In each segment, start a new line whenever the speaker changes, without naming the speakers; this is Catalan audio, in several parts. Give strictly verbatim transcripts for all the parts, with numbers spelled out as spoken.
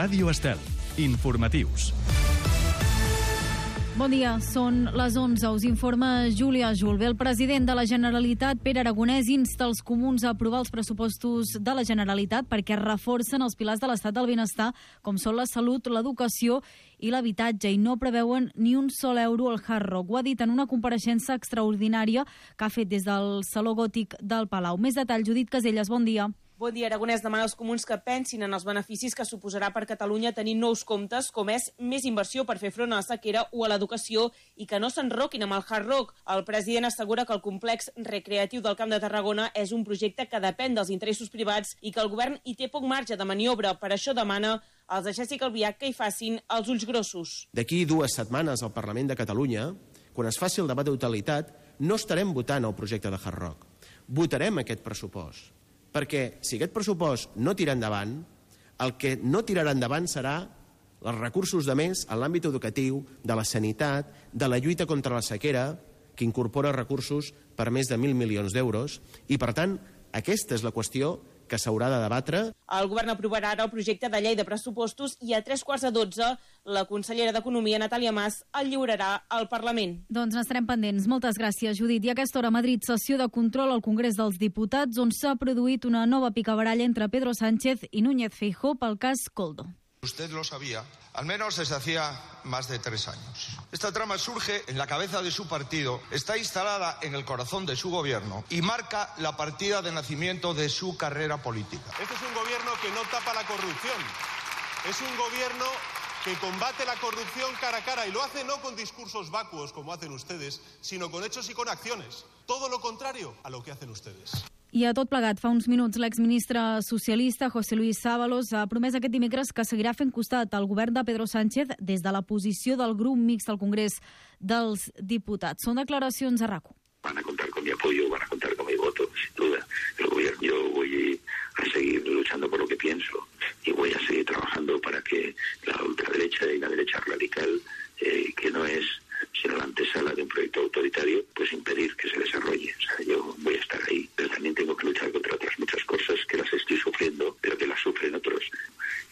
Ràdio Estel. Informatius.
Bon dia, són les onze, us informa Júlia Julve. El president de la Generalitat, Pere Aragonès, insta els comuns a aprovar els pressupostos de la Generalitat perquè reforcen els pilars de l'estat del benestar, com són la salut, l'educació i l'habitatge, i no preveuen ni un sol euro al Hard Rock. Ho ha dit en una compareixença extraordinària que ha fet des del Saló Gòtic del Palau. Més detall, Judit Caselles, bon dia.
Bon dia, Aragonès demana als comuns que pensin en els beneficis que suposarà per Catalunya tenir nous comptes, com és més inversió per fer front a la sequera o a l'educació, i que no s'enroquin amb el Hard Rock. El president assegura que el complex recreatiu del Camp de Tarragona és un projecte que depèn dels interessos privats i que el govern hi té poc marge de maniobra. Per això demana als de Jessica Albiach que hi facin els ulls grossos.
D'aquí dues setmanes al Parlament de Catalunya, quan es faci el debat de totalitat, no estarem votant el projecte de Hard Rock. Votarem aquest pressupost. Perquè si aquest pressupost no tira endavant, el que no tirarà endavant serà els recursos de més en l'àmbit educatiu, de la sanitat, de la lluita contra la sequera, que incorpora recursos per més de mil milions d'euros, i per tant aquesta és la qüestió que s'haurà de debatre.
El govern aprovarà ara el projecte de llei de pressupostos i a tres quarts de dotze la consellera d'Economia, Natàlia Mas, el lliurarà al Parlament.
Doncs n'estarem pendents. Moltes gràcies, Judit. I a aquesta hora a Madrid, sessió de control al Congrés dels Diputats, on s'ha produït una nova picabaralla entre Pedro Sánchez i Núñez Feijóo pel cas Koldo.
Usted lo sabía, al menos desde hacía más de tres años. Esta trama surge en la cabeza de su partido, está instalada en el corazón de su gobierno y marca la partida de nacimiento de su carrera política.
Este es un gobierno que no tapa la corrupción, es un gobierno que combate la corrupción cara a cara, y lo hace no con discursos vacuos como hacen ustedes, sino con hechos y con acciones. Todo lo contrario a lo que hacen ustedes.
I a tot plegat, fa uns minuts, l'exministre socialista José Luis Ábalos ha promès aquest dimecres que seguirà fent costat al govern de Pedro Sánchez des de la posició del grup mixt al Congrés dels Diputats. Són declaracions a RACU.
Van a contar con mi apoyo, van a contar con mi voto, sin duda. El gobierno, yo voy a seguir luchando por lo que pienso y voy a seguir trabajando para que la ultraderecha y la derecha radical, eh, que no es sino la antesala de un proyecto autoritario, pues impedir que se desarrolle. O sea, yo voy a estar ahí, pero también tengo que luchar contra otras muchas cosas que las estoy sufriendo, pero que las sufren otros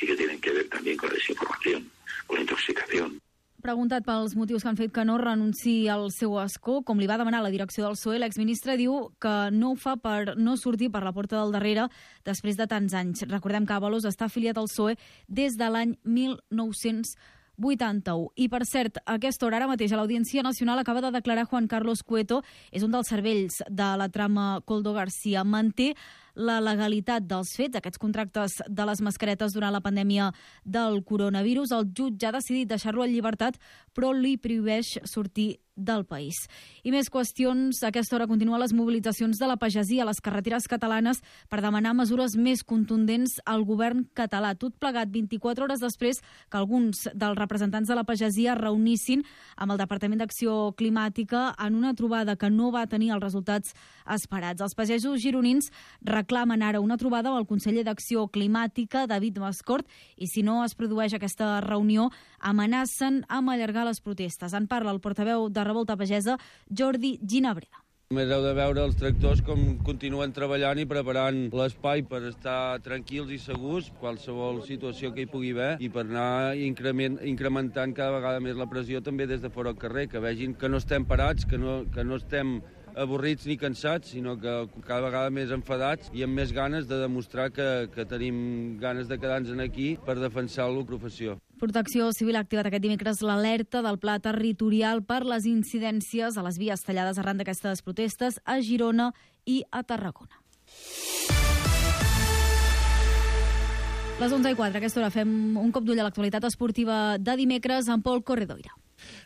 y que tienen que ver también con la desinformación, con la intoxicación.
Preguntat pels motius que han fet que no renunciï al seu escó, com li va demanar la direcció del P S O E, l'exministre diu que no ho fa per no sortir per la porta del darrere després de tants anys. Recordem que Ábalos està afiliat al P S O E des de l'any mil nou-cents vuitanta-u. I, per cert, a aquesta hora, ara mateix, a l'Audiència Nacional acaba de declarar Juan Carlos Cueto, és un dels cervells de la trama Koldo García. Manté la legalitat dels fets, aquests contractes de les mascaretes durant la pandèmia del coronavirus. El jutge ha decidit deixar-lo en llibertat, però li prohibeix sortir del país. I més qüestions. A aquesta hora continuen les mobilitzacions de la pagesia a les carreteres catalanes per demanar mesures més contundents al govern català. Tot plegat vint-i-quatre hores després que alguns dels representants de la pagesia es reunissin amb el Departament d'Acció Climàtica en una trobada que no va tenir els resultats esperats. Els pagesos gironins reclamen ara una trobada amb el conseller d'Acció Climàtica, David Mascort, i si no es produeix aquesta reunió, amenacen amb allargar les protestes. En parla el portaveu de Revolta Pagesa, Jordi Ginabreda.
Només heu de veure els tractors com continuen treballant i preparant l'espai per estar tranquils i segurs qualsevol situació que hi pugui haver i per anar increment, incrementant cada vegada més la pressió també des de fora al carrer, que vegin que no estem parats, que no, que no estem avorrits ni cansats, sinó que cada vegada més enfadats i amb més ganes de demostrar que, que tenim ganes de quedar-nos aquí per defensar la professió.
Protecció Civil ha activat aquest dimecres l'alerta del pla territorial per les incidències a les vies tallades arran d'aquestes protestes a Girona i a Tarragona. Les onze i quatre, a aquesta hora fem un cop d'ull a l'actualitat esportiva de dimecres amb Pol Corredoira.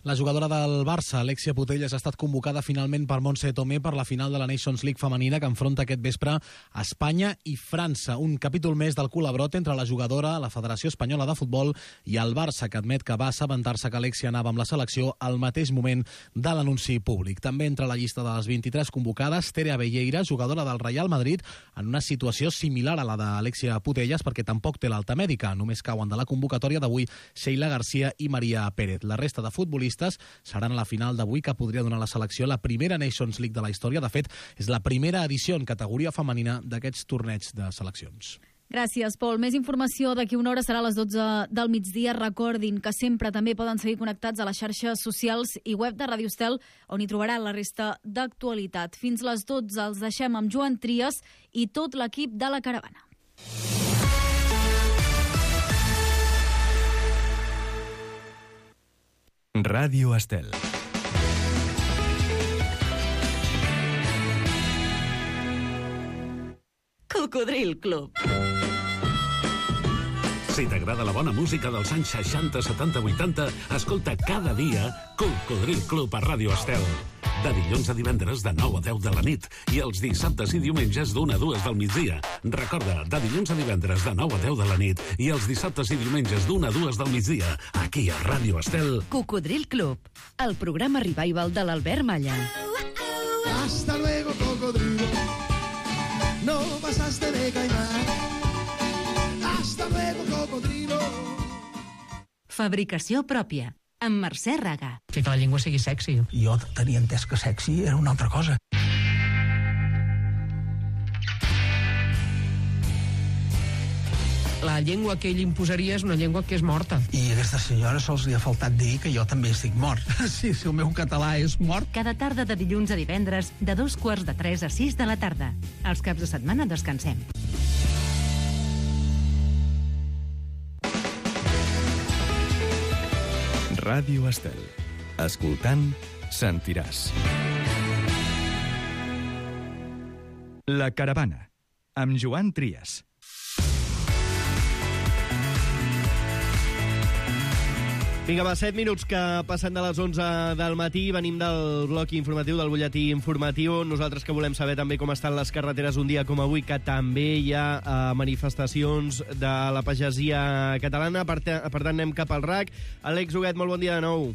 La jugadora del Barça, Alexia Putellas, ha estat convocada finalment per Montse Tomé per la final de la Nations League femenina que enfronta aquest vespre a Espanya i França. Un capítol més del col·labrot entre la jugadora, la Federació Espanyola de Futbol i el Barça, que admet que va assabentar-se que Alexia anava amb la selecció al mateix moment de l'anunci públic. També entre la llista de les vint-i-tres convocades, Tere Abelleira, jugadora del Real Madrid, en una situació similar a la d'Alexia Putellas perquè tampoc té l'alta mèdica. Només cauen de la convocatòria d'avui Sheila García i Maria Pérez. La resta de futbolistes seran a la final d'avui, que podria donar a la selecció la primera Nations League de la història. De fet, és la primera edició en categoria femenina d'aquests torneigs de seleccions.
Gràcies, Pol. Més informació d'aquí una hora serà a les dotze del migdia. Recordin que sempre també poden seguir connectats a les xarxes socials i web de Ràdio Estel, on hi trobaran la resta d'actualitat. Fins les dotze els deixem amb Joan Trias i tot l'equip de la Caravana.
Ràdio Estel.
Cocodril Club.
Si t'agrada la bona música dels anys seixanta, setanta, vuitanta, escolta cada dia Cocodril Club a Ràdio Estel. De dilluns a divendres de nou a deu de la nit i els dissabtes i diumenges d'una a dues del migdia. Recorda, de dilluns a divendres de nou a deu de la nit i els dissabtes i diumenges d'una a dues del migdia, aquí a Ràdio Estel.
Cocodril Club, el programa revival de l'Albert Malla.
Hasta luego, cocodrilo. No pasaste de caimán. Hasta luego, cocodrilo.
Fabricació pròpia, amb Mercè Raga.
Fer que la llengua sigui sexy.
Jo tenia entès que sexy era una altra cosa.
La llengua que ell imposaria és una llengua que és morta.
I a aquesta senyora sols li ha faltat dir que jo també estic mort. Sí, si el meu català és mort.
Cada tarda de dilluns a divendres, de dos quarts de tres a sis de la tarda. Els caps de setmana descansem.
Ràdio Estel. Escoltant, sentiràs. La Caravana, amb Joan Trias.
Vinga, va, set minuts que passen de les onze del matí. Venim del bloc informatiu, del butlletí informatiu. Nosaltres que volem saber també com estan les carreteres un dia com avui, que també hi ha eh, manifestacions de la pagesia catalana. Per, per tant, anem cap al R A C. Àlex Huguet, molt bon dia de nou.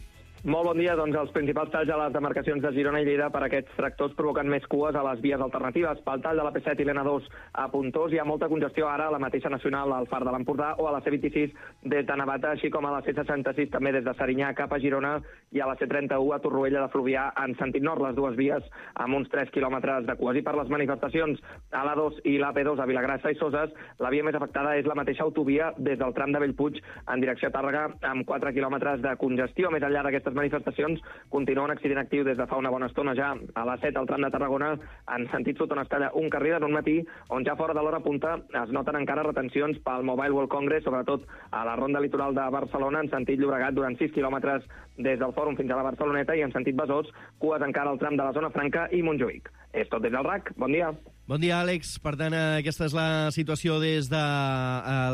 Molt bon dia. Doncs els principals talls a les demarcacions de Girona i Lleida per aquests tractors provoquen més cues a les vies alternatives. Pel tall de la P set i l'N dos a Pontós hi ha molta congestió ara a la mateixa nacional al Far de l'Empordà o a la C vint-i-sis des de Navata, així com a la C seixanta-sis també des de Serinyà cap a Girona i a la C trenta-u a Torroella de Fluvià en sentit nord, les dues vies amb uns tres quilòmetres de cues. I per les manifestacions a l'A dos i l'A P dos a Vilagrassa i Soses, la via més afectada és la mateixa autovia des del tram de Bellpuig en direcció a Tàrrega amb quatre quilòmetres de congestió. Més enllà d'aquestes manifestacions continua un accident actiu des de fa una bona estona ja a la set al tram de Tarragona en sentit sud on es talla un carril en un matí on ja fora de l'hora punta es noten encara retencions pel Mobile World Congress, sobretot a la ronda litoral de Barcelona en sentit Llobregat durant sis quilòmetres des del Fòrum fins a la Barceloneta i en sentit Besòs, cues encara al tram de la Zona Franca i Montjuïc. És tot des del R A C. Bon dia.
Bon dia, Àlex. Per tant, aquesta és la situació des de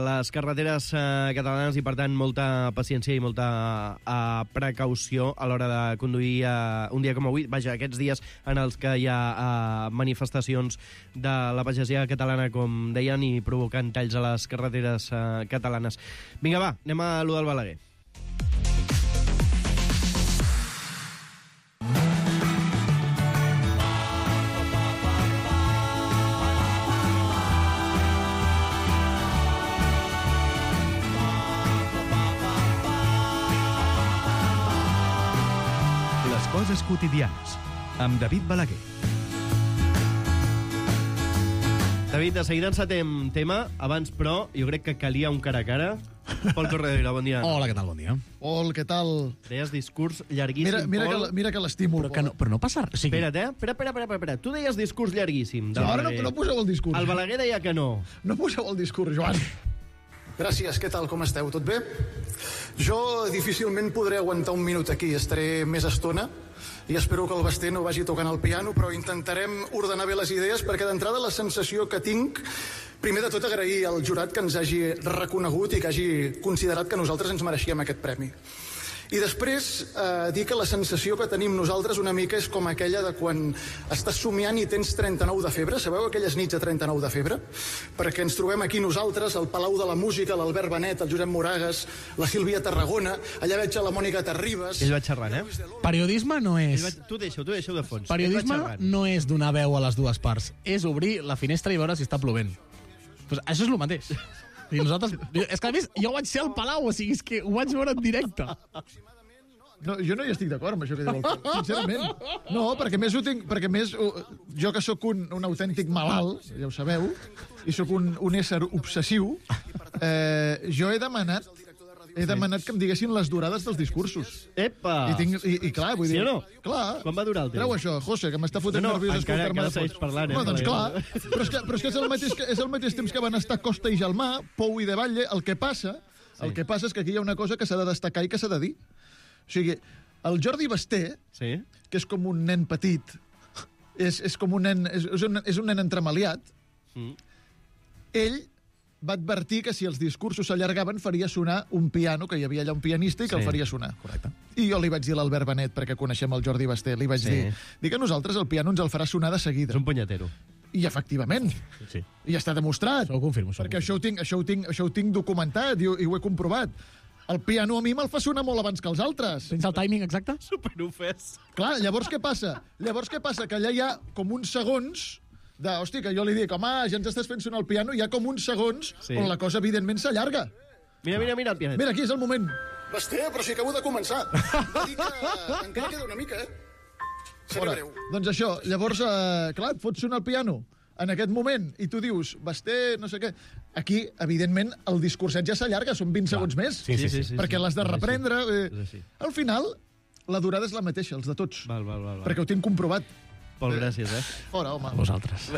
les carreteres catalanes i, per tant, molta paciència i molta precaució a l'hora de conduir un dia com avui. Vaja, aquests dies en els que hi ha manifestacions de la pagesia catalana, com deien, i provocant talls a les carreteres catalanes. Vinga, va, anem a allò del Balaguer.
Coses quotidianes, amb David Balaguer.
David, de seguida encetem tema. Abans, però, jo crec que calia un cara a cara. Pol Corredera, bon dia.
Hola, què tal? Bon dia.
Pol, què tal?
Deies discurs llarguíssim,
mira, mira
Pol.
Que, mira que l'estimo,
però, que no, però no passa res. O sigui...
Espera't, eh? Espera, espera, espera, espera. Tu deies discurs llarguíssim.
Sí, ara no, no poseu el discurs.
El Balaguer deia que no.
No poseu el discurs, Joan.
Gràcies, què tal, com esteu? Tot bé? Jo difícilment podré aguantar un minut aquí, estaré més estona i espero que el Basté no vagi tocant el piano, però intentarem ordenar bé les idees perquè d'entrada la sensació que tinc, primer de tot agrair al jurat que ens hagi reconegut i que hagi considerat que nosaltres ens mereixíem aquest premi. I després eh, dir que la sensació que tenim nosaltres una mica és com aquella de quan estàs somiant i tens trenta-nou de febre. Sabeu aquelles nits de trenta-nou de febre? Perquè ens trobem aquí nosaltres, al Palau de la Música, l'Albert Benet, el Josep Moragas, la Sílvia Tarragona, allà veig a la Mònica Terribas...
Ell va xerrant, eh?
Periodisme no és...
Va... Tu deixa-ho, tu deixa-ho de fons.
Periodisme no és donar veu a les dues parts. És obrir la finestra i veure si està plovent. Pues això és el mateix. I nosaltres... És que, a més, jo vaig ser al Palau, o sigui, és que ho vaig veure en directe.
No, jo no hi estic d'acord amb això que diu el Pol, sincerament. No, perquè més ho tinc... Perquè més, jo que sóc un, un autèntic malalt, ja ho sabeu, i sóc un, un ésser obsessiu, eh, jo he demanat he demanat que em diguessin les durades dels discursos.
Epa!
I, tinc, i, i clar, vull dir...
Sí o no?
Clar.
Quan va durar el temps?
Treu això, José, que m'està fotent
no, no,
nerviós
encara,
escoltar-me
encara
de
segueix
fons.
parlant, eh?
No, doncs clar. Però és que, però és, que és, el mateix, és el mateix temps que van estar Costa i Gelmà, Pou i De Valle. El que passa, sí. el que passa és que aquí hi ha una cosa que s'ha de destacar i que s'ha de dir. O sigui, el Jordi Basté, sí. que és com un nen petit, és, és com un nen, és, és, un, és un nen entremaliat, mm. ell va advertir que si els discursos s'allargaven faria sonar un piano, que hi havia allà un pianista i que sí. el faria sonar. Correcte. I jo li vaig dir a l'Albert Benet, perquè coneixem el Jordi Basté, li vaig sí. dir, dir que nosaltres el piano ens el farà sonar de seguida.
És un punyetero.
I efectivament.
Sí.
I està demostrat.
Això ho confirmo. Això
perquè ho confirmo. Això, ho tinc, això, ho tinc, això ho tinc documentat i, i ho he comprovat. El piano a mi me'l fa sonar molt abans que els altres.
Tens el timing exacte?
Superofès.
Clar, llavors què passa? Llavors què passa? Que allà hi ha com uns segons de, hosti, que jo li dic, home, ja ens estàs fent sonar el piano, hi ha com uns segons sí. on la cosa, evidentment, s'allarga.
Mira, mira, mira el pianet.
Mira, aquí és el moment.
Basté, però si acabo de començar. Va dir que encara queda una mica, eh? Seré breu.
Doncs això, llavors, eh, clar, et fots sonar el piano en aquest moment, i tu dius, Basté, no sé què... Aquí, evidentment, el discurset ja s'allarga, són vint clar. segons més,
sí, sí, sí, sí,
perquè
sí,
l'has de
sí,
reprendre.
sí.
Eh,
sí.
Al final, la durada és la mateixa, els de tots.
Val, val, val, val.
Perquè ho tinc comprovat.
Pol, gràcies, eh?
Fora, home.
A vosaltres.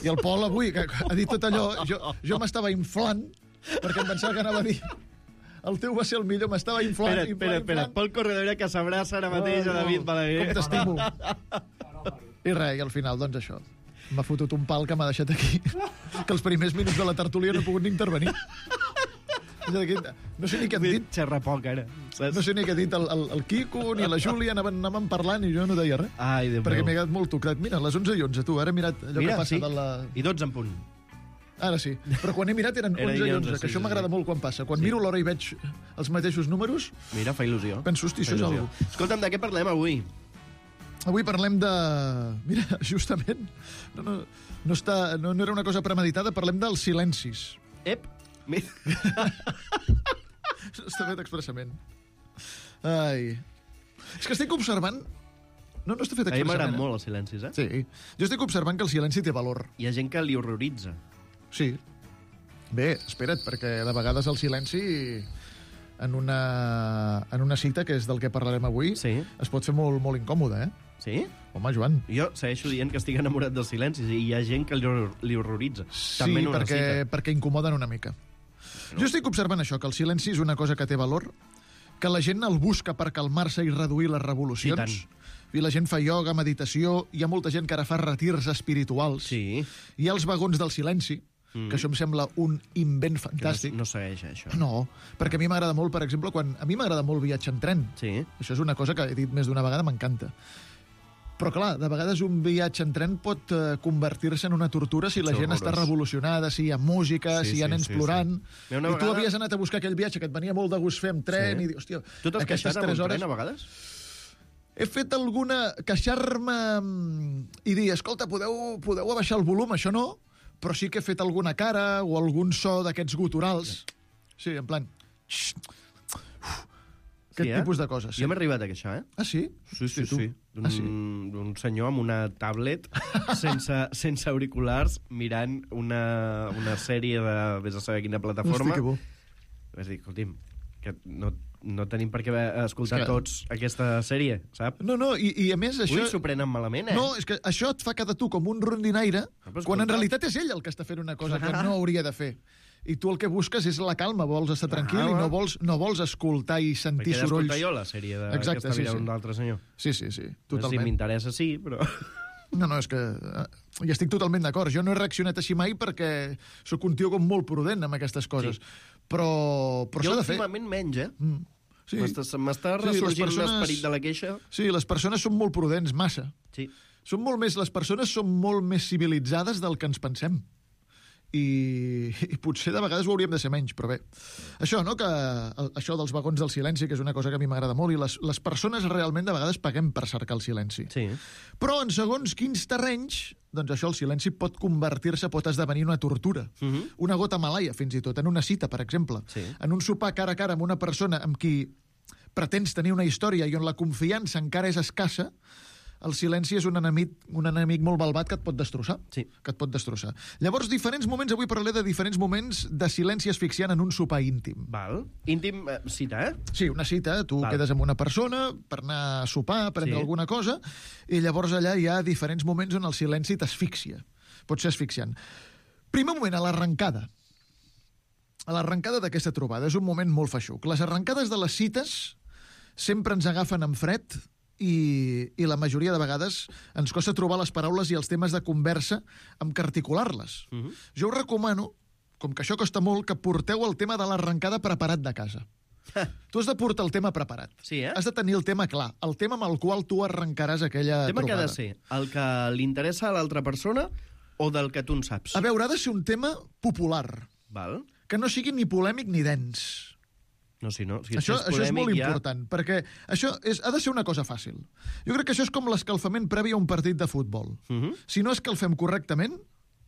I el Pol avui, que ha dit tot allò, jo, jo m'estava inflant, perquè em pensava que anava a dir el teu va ser el millor, m'estava inflant,
espera,
inflant,
espera, espera. Pol Corredera, que s'abraça ara mateix oh, a David Balaguer.
Com t'estimo. I res, i al final, doncs això. M'ha fotut un pal que m'ha deixat aquí, que els primers minuts de la tertúlia no he pogut ni intervenir. No sé ni què han dit.
Xerra poc, ara.
No sé ni què ha dit el, el, el Quico ni la Júlia, anaven, anaven parlant i jo no deia res.
Ai, Déu
perquè
meu.
m'he quedat molt tocat. Mira, les onze i onze, tu, ara he mirat allò
Mira,
que passa
sí.
de la...
I dotze en punt.
Ara sí, però quan he mirat eren
Era
onze i onze,
onze,
que
sí,
això
sí,
m'agrada
sí.
molt quan passa. Quan
Sí.
miro l'hora i veig els mateixos números,
Mira, fa il·lusió.
penso, hosti,
Fa
això és
il·lusió.
algo.
Escolta'm, de què parlem avui?
Avui parlem de... Mira, justament, no, no, no, està, no, no era una cosa premeditada, parlem dels silencis.
Ep,
està fet expressament. Ai. És que estic observant... No, no està fet
A mi
expressament.
m'agraden molt els silencis, eh?
Sí. Jo estic observant que el silenci té valor.
Hi ha gent que li horroritza.
Sí. Bé, espera't, perquè de vegades el silenci en una, en una cita, que és del que parlarem avui,
sí.
es pot fer molt, molt incòmode, eh?
Sí?
Home, Joan.
Jo segueixo dient que estic enamorat dels silencis i hi ha gent que li, hor li horroritza.
Sí,
També en una
perquè,
cita.
perquè incomoden una mica. No. Jo estic observant això, que el silenci és una cosa que té valor, que la gent el busca per calmar-se i reduir les revolucions. I la gent fa ioga, meditació, hi ha molta gent que ara fa retirs espirituals.
Sí.
Hi ha els vagons del silenci, mm. que això em sembla un invent fantàstic.
Que no, no segueix, això.
No, perquè a mi m'agrada molt, per exemple, quan a mi m'agrada molt viatjar en tren.
Sí.
Això és una cosa que he dit més d'una vegada, m'encanta. Però, clar, de vegades un viatge en tren pot uh, convertir-se en una tortura si la gent
horrorós.
està revolucionada, si hi ha música,
Sí,
si hi ha
sí,
nens
sí,
plorant.
sí.
I
Una
tu
vegada-
havies anat a buscar aquell viatge que et venia molt de gust fer amb tren,
Sí.
i dius, hòstia,
Tu t'has
aquestes
queixat amb
tres
un
hores...
tren, a vegades?
He fet alguna... queixar-me mm, i dir, escolta, podeu, podeu abaixar el volum, això no, però sí que he fet alguna cara o algun so d'aquests guturals. Sí, en plan... Aquest
Sí, eh?
tipus de coses. Sí.
Jo m'he arribat a queixar, eh?
Ah, sí?
Sí, sí,
tu?
sí. D'un
Ah, sí?
d'un senyor amb una tablet sense, sense auriculars mirant una, una sèrie de... vés a saber quina plataforma.
Hosti, que bo.
Vas dir, escolti'm, que no, no tenim per què escoltar
És que-
tots aquesta sèrie, saps?
No, no, i, i a més això...
Ui, s'ho prenen malament, eh?
No, és que això et fa quedar tu com un rondinaire,
però
quan en
escolta.
realitat és ell el que està fent una cosa que
Clar.
no hauria de fer. I tu el que busques és la calma, vols estar tranquil
Ah,
i no
va.
vols, no vols escoltar i sentir
Perquè he d'escoltar
sorolls.
jo la sèrie de,
Exacte,
que està
sí,
mirant
sí.
un altre senyor.
Sí, sí, sí,
Si
totalment.
m'interessa, sí, però...
No, no, és que eh, hi estic totalment d'acord. Jo no he reaccionat així mai perquè sóc un tio com molt prudent amb aquestes coses. Sí. Però, però
jo
s'ha de fer.
últimament menys, eh?
Mm. Sí.
M'està m'està
Sí, les
ressorgint
persones-
l'esperit de la queixa.
Sí, les persones són molt prudents, massa.
Sí.
Són molt més, les persones són molt més civilitzades del que ens pensem. I, i potser de vegades ho hauríem de ser menys, però bé. Això, no?, que el, això dels vagons del silenci, que és una cosa que a mi m'agrada molt, i les, les persones realment de vegades paguem per cercar el silenci.
Sí.
Però en segons quins terrenys, doncs això, el silenci pot convertir-se, pot esdevenir una tortura.
Uh -huh.
Una gota malaia, fins i tot, en una cita, per exemple.
Sí.
En un sopar cara a cara amb una persona amb qui pretens tenir una història i on la confiança encara és escassa, el silenci és un enemic, un enemic molt malvat que et pot destrossar.
Sí.
Que et pot destrossar. Llavors, diferents moments, avui parlaré de diferents moments de silenci asfixiant en un sopar íntim.
Val. Íntim, eh, cita, eh?
Sí, una cita. Tu
Val.
quedes amb una persona per anar a sopar, a prendre
Sí.
alguna cosa, i llavors allà hi ha diferents moments on el silenci t'asfixia. Pot ser asfixiant. Primer moment, a l'arrencada. A l'arrencada d'aquesta trobada. És un moment molt feixuc. Les arrencades de les cites sempre ens agafen en fred i, i la majoria de vegades ens costa trobar les paraules i els temes de conversa amb què articular-les.
Uh -huh.
Jo us recomano, com que això costa molt, que porteu el tema de l'arrencada preparat de casa. Tu has de portar el tema preparat.
Sí, eh?
Has de tenir el tema clar, el tema amb el qual tu arrencaràs aquella
El tema que ha
trobada.
de ser el que li interessa a l'altra persona o del que tu en saps?
A veure, ha de ser un tema popular,
Val?
que no sigui ni polèmic ni dens.
No, si no, si
Això,
és
això és molt
polèmic, ja...
important, perquè això és, ha de ser una cosa fàcil. Jo crec que això és com l'escalfament previ a un partit de futbol.
Uh -huh.
Si no escalfem correctament,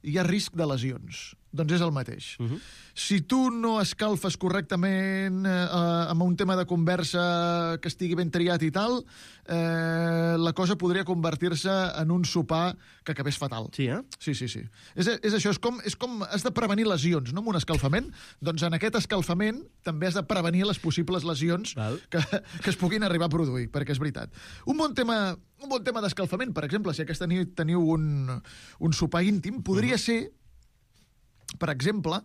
hi ha risc de lesions. Doncs és el mateix.
Uh -huh.
Si tu no escalfes correctament eh, amb un tema de conversa que estigui ben triat i tal, eh, la cosa podria convertir-se en un sopar que acabés fatal.
Sí, eh?
Sí, sí, sí. És, és això, és com, és com has de prevenir lesions, no?, amb un escalfament. Doncs en aquest escalfament també has de prevenir les possibles lesions que, que es puguin arribar a produir, perquè és veritat. Un bon tema, un bon tema d'escalfament, per exemple, si aquesta nit teniu un, un sopar íntim, podria uh -huh. ser, per exemple,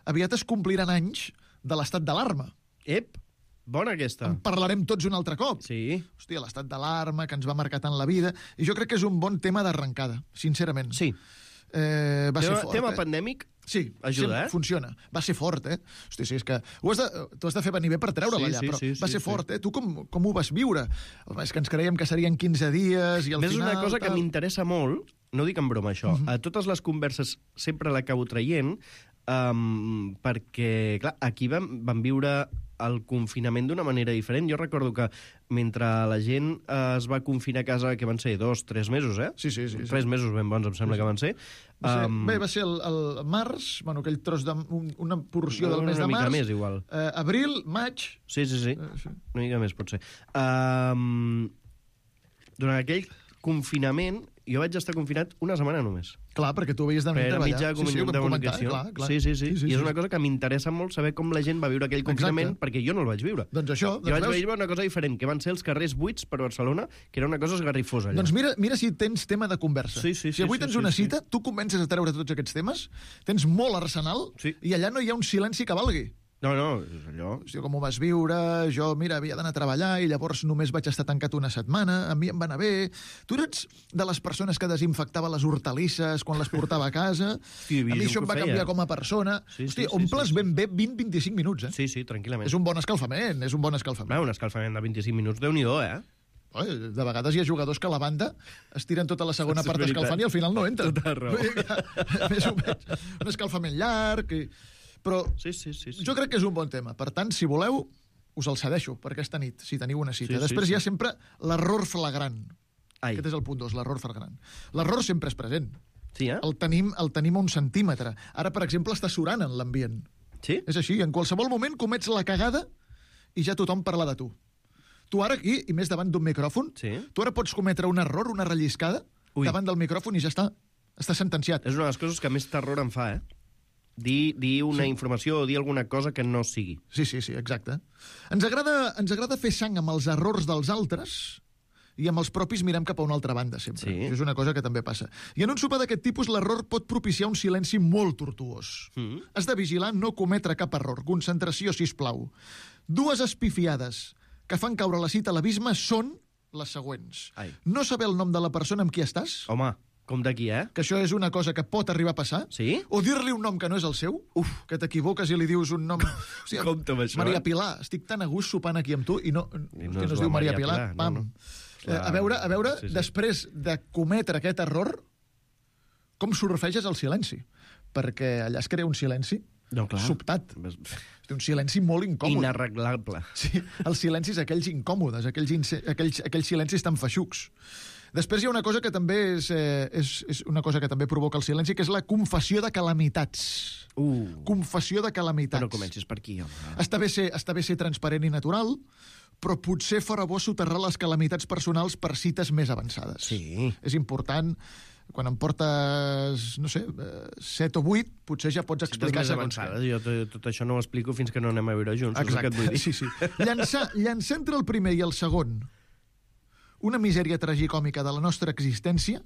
aviat es compliran anys de l'estat d'alarma.
Ep, bona aquesta.
En parlarem tots un altre cop.
Sí.
Hòstia, l'estat d'alarma, que ens va marcar tant la vida, i jo crec que és un bon tema d'arrencada, sincerament.
Sí.
Eh, va
tema,
ser fort,
tema
eh?
pandèmic
Sí,
ajuda,
sí,
eh?
funciona. Va ser fort, eh? Hosti, sí, és que ho has de, tu has de fer venir bé per treure-la
Sí,
allà,
sí,
però
sí,
va
sí,
ser
sí.
fort, eh? Tu com, com ho vas viure? Home, és que ens creiem que serien quinze dies i al
Ves,
final...
una cosa
tal...
que m'interessa molt, no dic en broma això, uh -huh. a totes les converses sempre l'acabo traient, um, perquè, clar, aquí vam, vam viure el confinament d'una manera diferent. Jo recordo que mentre la gent eh, es va confinar a casa, que van ser dos, tres mesos, eh?
Sí, sí, sí.
Tres
sí.
mesos ben bons, em sembla
Sí, sí.
que van ser.
Va ser,
Um,
bé, va ser el, el març, bueno, aquell tros de... Un, una porció del
una
mes de
mica
març.
més, igual.
Eh, abril, maig...
Sí, sí, sí.
Eh, sí.
Una mica més, pot ser. Um, durant aquell confinament, jo vaig estar confinat una setmana només.
Clar, perquè tu veies de venir a
Per
treballar.
mitjà
Sí, sí, ho
comunicació.
vam comentar, clar, clar.
Sí, sí, sí,
Sí, sí,
I és
sí.
una cosa que m'interessa molt saber com la gent va viure aquell confinament,
Exacte.
perquè jo no el vaig viure.
Doncs això...
Jo
Doncs
vaig
veus?
viure una cosa diferent, que van ser els carrers buits per Barcelona, que era una cosa esgarrifosa allà.
Doncs mira, mira si tens tema de conversa.
Sí, sí,
si avui
sí,
tens
sí,
una
sí.
cita, tu comences a treure tots aquests temes, tens molt arsenal,
Sí.
i allà no hi ha un silenci que valgui.
No, no, és allò...
Hòstia, com ho vas viure? Jo, mira, havia d'anar a treballar i llavors només vaig estar tancat una setmana, a mi em va anar bé. Tu eres de les persones que desinfectava les hortalisses quan les portava a casa?
Sí,
a mi això em va canviar com a persona.
Sí, sí,
Hòstia,
sí,
omples
sí, sí.
ben bé vint a vint-i-cinc minuts, eh?
Sí, sí, tranquil·lament.
És un bon escalfament, és un bon escalfament.
Va, un escalfament de vint-i-cinc minuts, Déu-n'hi-do, eh?
Oi, de vegades hi ha jugadors que a la banda es tiren tota la segona
Això és
part
veritat.
escalfant i al final no entren.
Tota raó.
Vull dir que, més o menys, un escalfament llarg... I... Però
sí, sí, sí, sí.
jo crec que és un bon tema. Per tant, si voleu, us el cedeixo per aquesta nit, si teniu una cita.
Sí, sí,
Després
sí.
hi ha sempre l'error flagrant.
Ai.
Aquest és el punt dos, l'error flagrant. L'error sempre és present.
Sí, eh?
El tenim, el tenim a un centímetre. Ara, per exemple, està surant en l'ambient.
Sí?
És així, en qualsevol moment comets la cagada i ja tothom parla de tu. Tu ara aquí, i més davant d'un micròfon,
Sí.
tu ara pots cometre un error, una relliscada,
Ui.
davant del micròfon i ja està. Està sentenciat.
És una de les coses que més terror em fa, eh? Dir, dir una
Sí.
informació o dir alguna cosa que no sigui.
Sí, sí, sí, exacte. Ens agrada, ens agrada fer sang amb els errors dels altres i amb els propis mirem cap a una altra banda, sempre.
Sí.
Això és una cosa que també passa. I en un sopar d'aquest tipus, l'error pot propiciar un silenci molt tortuós.
Mm.
Has de vigilar no cometre cap error. Concentració, sisplau. Dues espifiades que fan caure la cita a l'abisme són les següents.
Ai.
No saber el nom de la persona amb qui estàs,
Home, com d'aquí, eh?
que això és una cosa que pot arribar a passar,
Sí?
o dir-li un nom que no és el seu,
Uf.
que t'equivoques i li dius un nom... Hòstia,
Compte amb això,
Maria
eh?
Pilar, estic tan a gust sopant aquí amb tu i no,
I no
hòstia,
és
no es
la
diu Maria,
Maria
Pilar,
Pilar, no,
pam.
no.
Eh, a veure, a veure
Sí, sí.
després de cometre aquest error, com surfeges el silenci? Perquè allà es crea un silenci
No, clar.
sobtat.
Ves-
Un silenci molt incòmode.
Inarreglable.
Sí, els silencis aquells incòmodes, aquells, ince- aquells, aquells silencis tan feixucs. Després hi ha una cosa que també és, eh, és, és una cosa que també provoca el silenci, que és la confessió de calamitats.
Uh.
Confessió de calamitats.
Però no comencis per aquí, home.
Està bé, ser, està bé ser transparent i natural, però potser fora bo soterrar les calamitats personals per cites més avançades.
Sí.
És important. Quan em portes, no sé, set o vuit, potser ja pots explicar segons què.
Jo tot això no ho explico fins que no anem a viure junts.
Exacte,
és el que et vull dir.
sí, sí. Llançar, llançar entre el primer i el segon una misèria tragicòmica de la nostra existència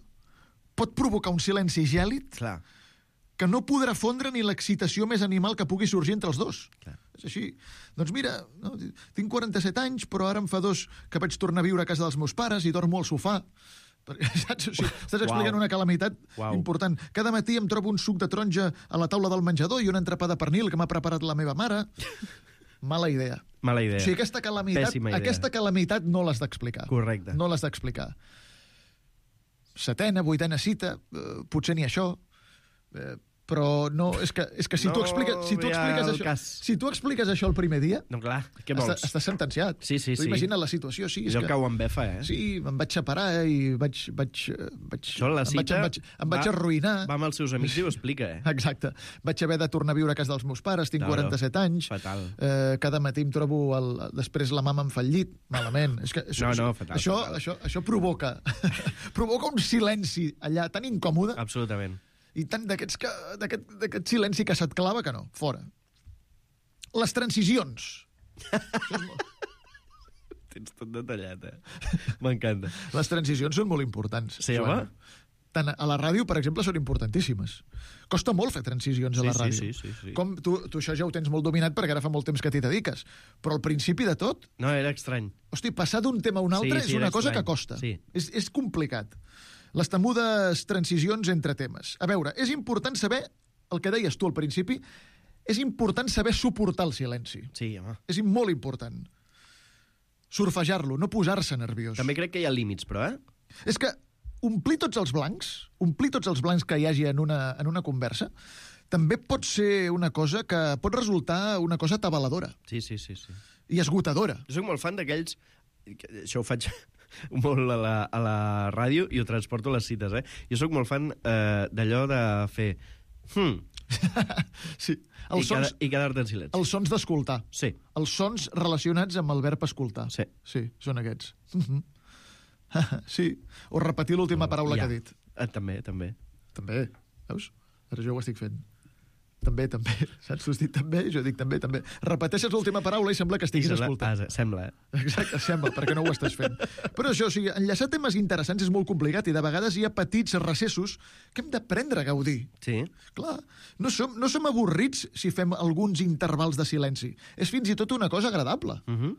pot provocar un silenci gèlid
Clar.
que no podrà fondre ni l'excitació més animal que pugui sorgir entre els dos.
Clar.
És així. Doncs mira, no, tinc quaranta-set anys, però ara em fa dos que vaig tornar a viure a casa dels meus pares i dormo al sofà. Perquè, saps? O sigui, estàs explicant
Uau.
una calamitat
Uau.
important. Cada matí em trobo un suc de taronja a la taula del menjador i un entrepà de pernil que m'ha preparat la meva mare. Mala idea.
Mala idea.
O sigui, aquesta calamitat,
Pèssima idea.
aquesta calamitat no l'has d'explicar.
Correcte.
No l'has d'explicar. Setena, vuitena cita, eh, potser ni això, eh, però no, és que, és que si,
No
tu expliques, si, tu
ve
expliques
al
això,
cas.
si tu expliques això el primer dia,
No, clar, què
està,
vols?
estàs sentenciat.
Sí, sí,
tu
sí.
imagina't la situació. Sí, és
Allò
que,
cau en befa, eh?
sí, em vaig separar i vaig, vaig, eh, vaig,
Això, la
em vaig,
cita,
em vaig, em vaig
va-
arruïnar.
Va amb els seus amics i ho explica, eh?
Exacte. Vaig haver de tornar a viure a casa dels meus pares, tinc
Claro.
quaranta-set anys.
Fatal.
Eh, cada matí em trobo... El, després la mama em fa el llit. Malament. És que això,
No, no, fatal,
això,
fatal.
això, això provoca, provoca un silenci allà tan incòmode
Absolutament.
i tant d'aquests que, d'aquest, d'aquest silenci que se't clava que no. Fora. Les transicions.
Tens tot detallat, eh? M'encanta.
Les transicions són molt importants.
Sí,
Joan.
home.
Tant a la ràdio, per exemple, són importantíssimes. Costa molt fer transicions a la
Sí, sí,
ràdio.
sí, sí, sí.
Com tu, tu això ja ho tens molt dominat perquè ara fa molt temps que t'hi dediques. Però al principi de tot,
No, era estrany.
hosti, passar d'un tema a un altre
Sí, sí,
és una
era
cosa
estrany.
que costa.
Sí.
És, és complicat. Les temudes transicions entre temes. A veure, és important saber, el que deies tu al principi, és important saber suportar el silenci.
Sí, home.
És molt important. Surfejar-lo, no posar-se nerviós.
També crec que hi ha límits, però, eh?
És que omplir tots els blancs, omplir tots els blancs que hi hagi en una, en una conversa, també pot ser una cosa que pot resultar una cosa atabaladora
Sí, sí, sí, sí.
i esgotadora.
Jo soc molt fan d'aquells... que Això ho faig molt a la, a la ràdio i ho transporto a les cites, eh? Jo sóc molt fan eh, d'allò de fer... Hmm.
Sí.
I,
Els sons,
quedar, i quedar-te en silenci.
els sons d'escoltar.
Sí.
Els sons relacionats amb el verb escoltar.
Sí.
Sí, són aquests. Mhm. Sí. O repetir l'última paraula
Ja.
que ha dit.
Eh, també, també.
També, veus? Ara jo ho estic fent. També, també. Saps? Tu has dit també, jo dic també, també. Repeteixes l'última paraula i sembla que estiguis
I sembla,
escoltant.
ah, sembla, eh?
Exacte, sembla, perquè no ho estàs fent. Però això, o sigui, enllaçar temes interessants és molt complicat i de vegades hi ha petits recessos que hem d'aprendre a gaudir.
Sí.
Clar, no som, no som avorrits si fem alguns intervals de silenci. És fins i tot una cosa agradable.
Uh -huh.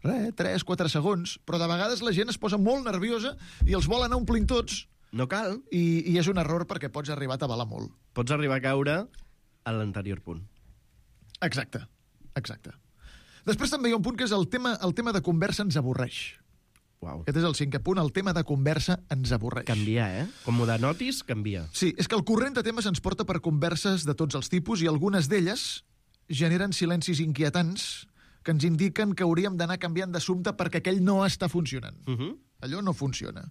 Res, tres, quatre segons, però de vegades la gent es posa molt nerviosa i els vol anar omplint tots.
No cal.
I, i és un error perquè pots arribar a tabalar molt.
Pots arribar a caure a l'anterior punt.
Exacte, exacte. Després també hi ha un punt que és el tema, el tema de conversa ens avorreix.
Uau.
Aquest és el cinquè punt, el tema de conversa ens avorreix.
Canviar, eh? Com ho denotis, canvia.
Sí, és que el corrent de temes ens porta per converses de tots els tipus i algunes d'elles generen silencis inquietants que ens indiquen que hauríem d'anar canviant d'assumpte perquè aquell no està funcionant.
Uh -huh.
Allò no funciona.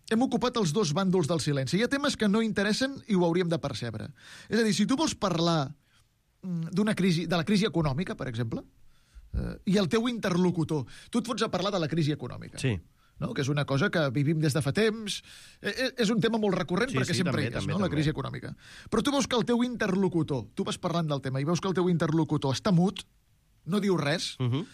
Hem ocupat els dos bàndols del silenci. Hi ha temes que no interessen i ho hauríem de percebre. És a dir, si tu vols parlar d'una crisi, de la crisi econòmica, per exemple, eh, i el teu interlocutor, tu et fots a parlar de la crisi econòmica.
Sí.
No? Que és una cosa que vivim des de fa temps. Eh, és un tema molt recurrent
Sí,
perquè
sí,
sempre
també,
hi és,
també,
no? la
també.
crisi econòmica. Però tu veus que el teu interlocutor, tu vas parlant del tema i veus que el teu interlocutor està mut, no diu res,
Uh -huh.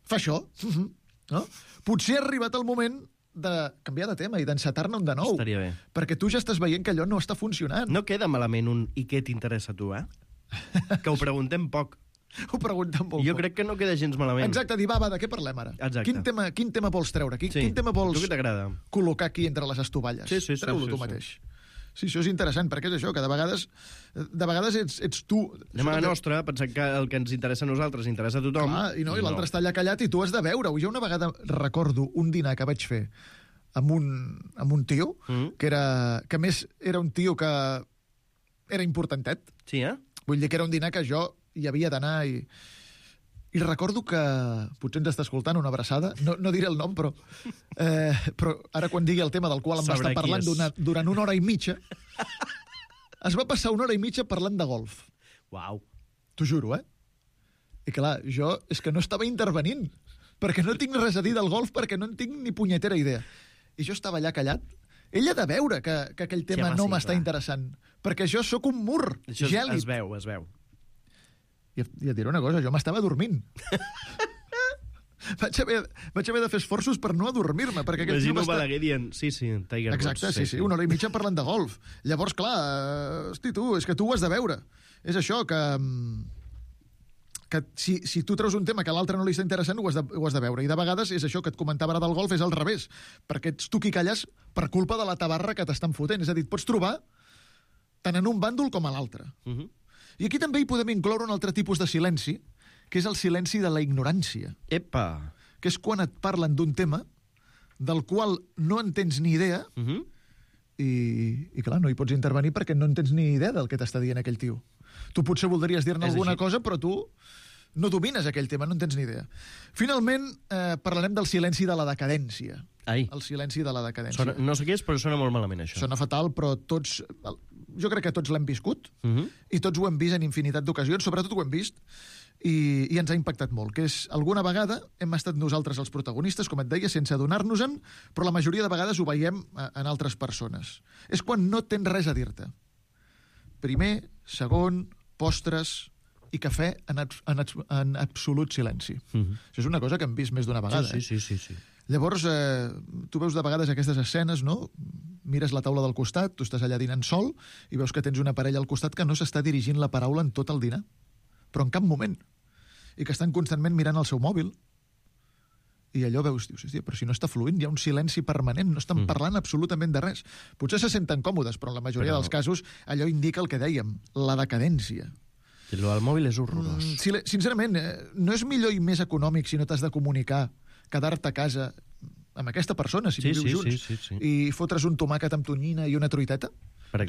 fa això, uh -huh, no? Potser ha arribat el moment de canviar de tema i d'encetar-ne un de nou.
Estaria bé.
Perquè tu ja estàs veient que allò no està funcionant.
No queda malament un i què t'interessa a tu, eh? Que ho preguntem poc.
Ho preguntem molt
Jo
poc.
crec que no queda gens malament.
Exacte, dir, va, va, de què parlem ara?
Exacte.
Quin tema, quin tema vols treure? Quin,
Sí.
quin tema vols
Tu què t'agrada?
col·locar aquí entre les estovalles?
Sí, sí, sí,
Treu-lo
sí,
tu
sí.
mateix. Sí, això és interessant, perquè és això, que de vegades, de vegades ets, ets tu...
Anem a la
Això que-
nostra, pensant que el que ens interessa a nosaltres interessa a tothom.
Clar, i, no, i l'altre està allà callat i tu has de veure-ho. Jo una vegada recordo un dinar que vaig fer amb un, amb un tio,
Mm.
que, era, que a més era un tio que era importantet.
Sí, eh?
Vull dir que era un dinar que jo hi havia d'anar i... I recordo que... Potser ens està escoltant una abraçada, no, no diré el nom, però, eh, però ara quan digui el tema del qual em va
Sabrà
estar
qui
parlant
és.
durant, durant una hora i mitja, es va passar una hora i mitja parlant de golf.
Uau.
T'ho juro, eh? I clar, jo és que no estava intervenint. perquè no tinc res a dir del golf, perquè no en tinc ni punyetera idea. I jo estava allà callat. Ell ha de veure que, que aquell tema
Sí, home,
no
sí,
m'està
clar.
interessant, perquè jo sóc un mur
Això es,
gèlid.
es veu, es veu.
I, I et diré una cosa, jo m'estava dormint. vaig, haver, vaig haver de fer esforços per no adormir-me, perquè aquest tio
Imagino
m'està...
Balaguer dient, sí, sí, Tiger Woods.
Exacte, sí, sí, una hora i mitja parlant de golf. Llavors, clar, eh, hosti, tu, és que tu ho has de veure. És això, que, que si, si tu treus un tema que a l'altre no li està interessant, ho has, de, ho has de veure. I de vegades és això que et comentava ara del golf, és al revés, perquè ets tu qui calles per culpa de la tabarra que t'estan fotent. És a dir, et pots trobar tant en un bàndol com a l'altre.
Uh -huh.
I aquí també hi podem incloure un altre tipus de silenci, que és el silenci de la ignorància.
Epa!
Que és quan et parlen d'un tema del qual no en tens ni idea,
uh -huh.
i, i clar, no hi pots intervenir perquè no en tens ni idea del que t'està dient aquell tio. Tu potser voldries dir-ne
És
alguna
així.
cosa, però tu no domines aquell tema, no en tens ni idea. Finalment, eh, parlarem del silenci de la decadència.
Ai.
El silenci de la decadència.
Sona, no sé què és, però sona molt malament, això.
Sona fatal, però tots... Jo crec que tots l'hem viscut,
Uh -huh.
i tots ho hem vist en infinitat d'ocasions, sobretot ho hem vist, i, i ens ha impactat molt, que és, alguna vegada hem estat nosaltres els protagonistes, com et deia, sense adonar-nos-en, però la majoria de vegades ho veiem en altres persones. És quan no tens res a dir-te. Primer, segon, postres i cafè en, abs en, abs en absolut silenci.
Uh -huh.
Això és una cosa que hem vist més d'una vegada.
Sí, sí, sí, sí, sí.
Llavors, eh, tu veus de vegades aquestes escenes, no? Mires la taula del costat, tu estàs allà dinant sol, i veus que tens una parella al costat que no s'està dirigint la paraula en tot el dinar, però en cap moment. I que estan constantment mirant el seu mòbil. I allò veus, dius, hòstia, però si no està fluint, hi ha un silenci permanent, no estan mm. parlant absolutament de res. Potser se senten còmodes, però en la majoria
però...
dels casos allò indica el que dèiem, la decadència.
El mòbil és horrorós.
Mm, si, sincerament, eh, no és millor i més econòmic si no t'has de comunicar, quedar-te a casa amb aquesta persona, si
sí,
vius
sí,
junts,
sí, sí, sí.
i fotre's un tomàquet amb tonyina i una truiteta,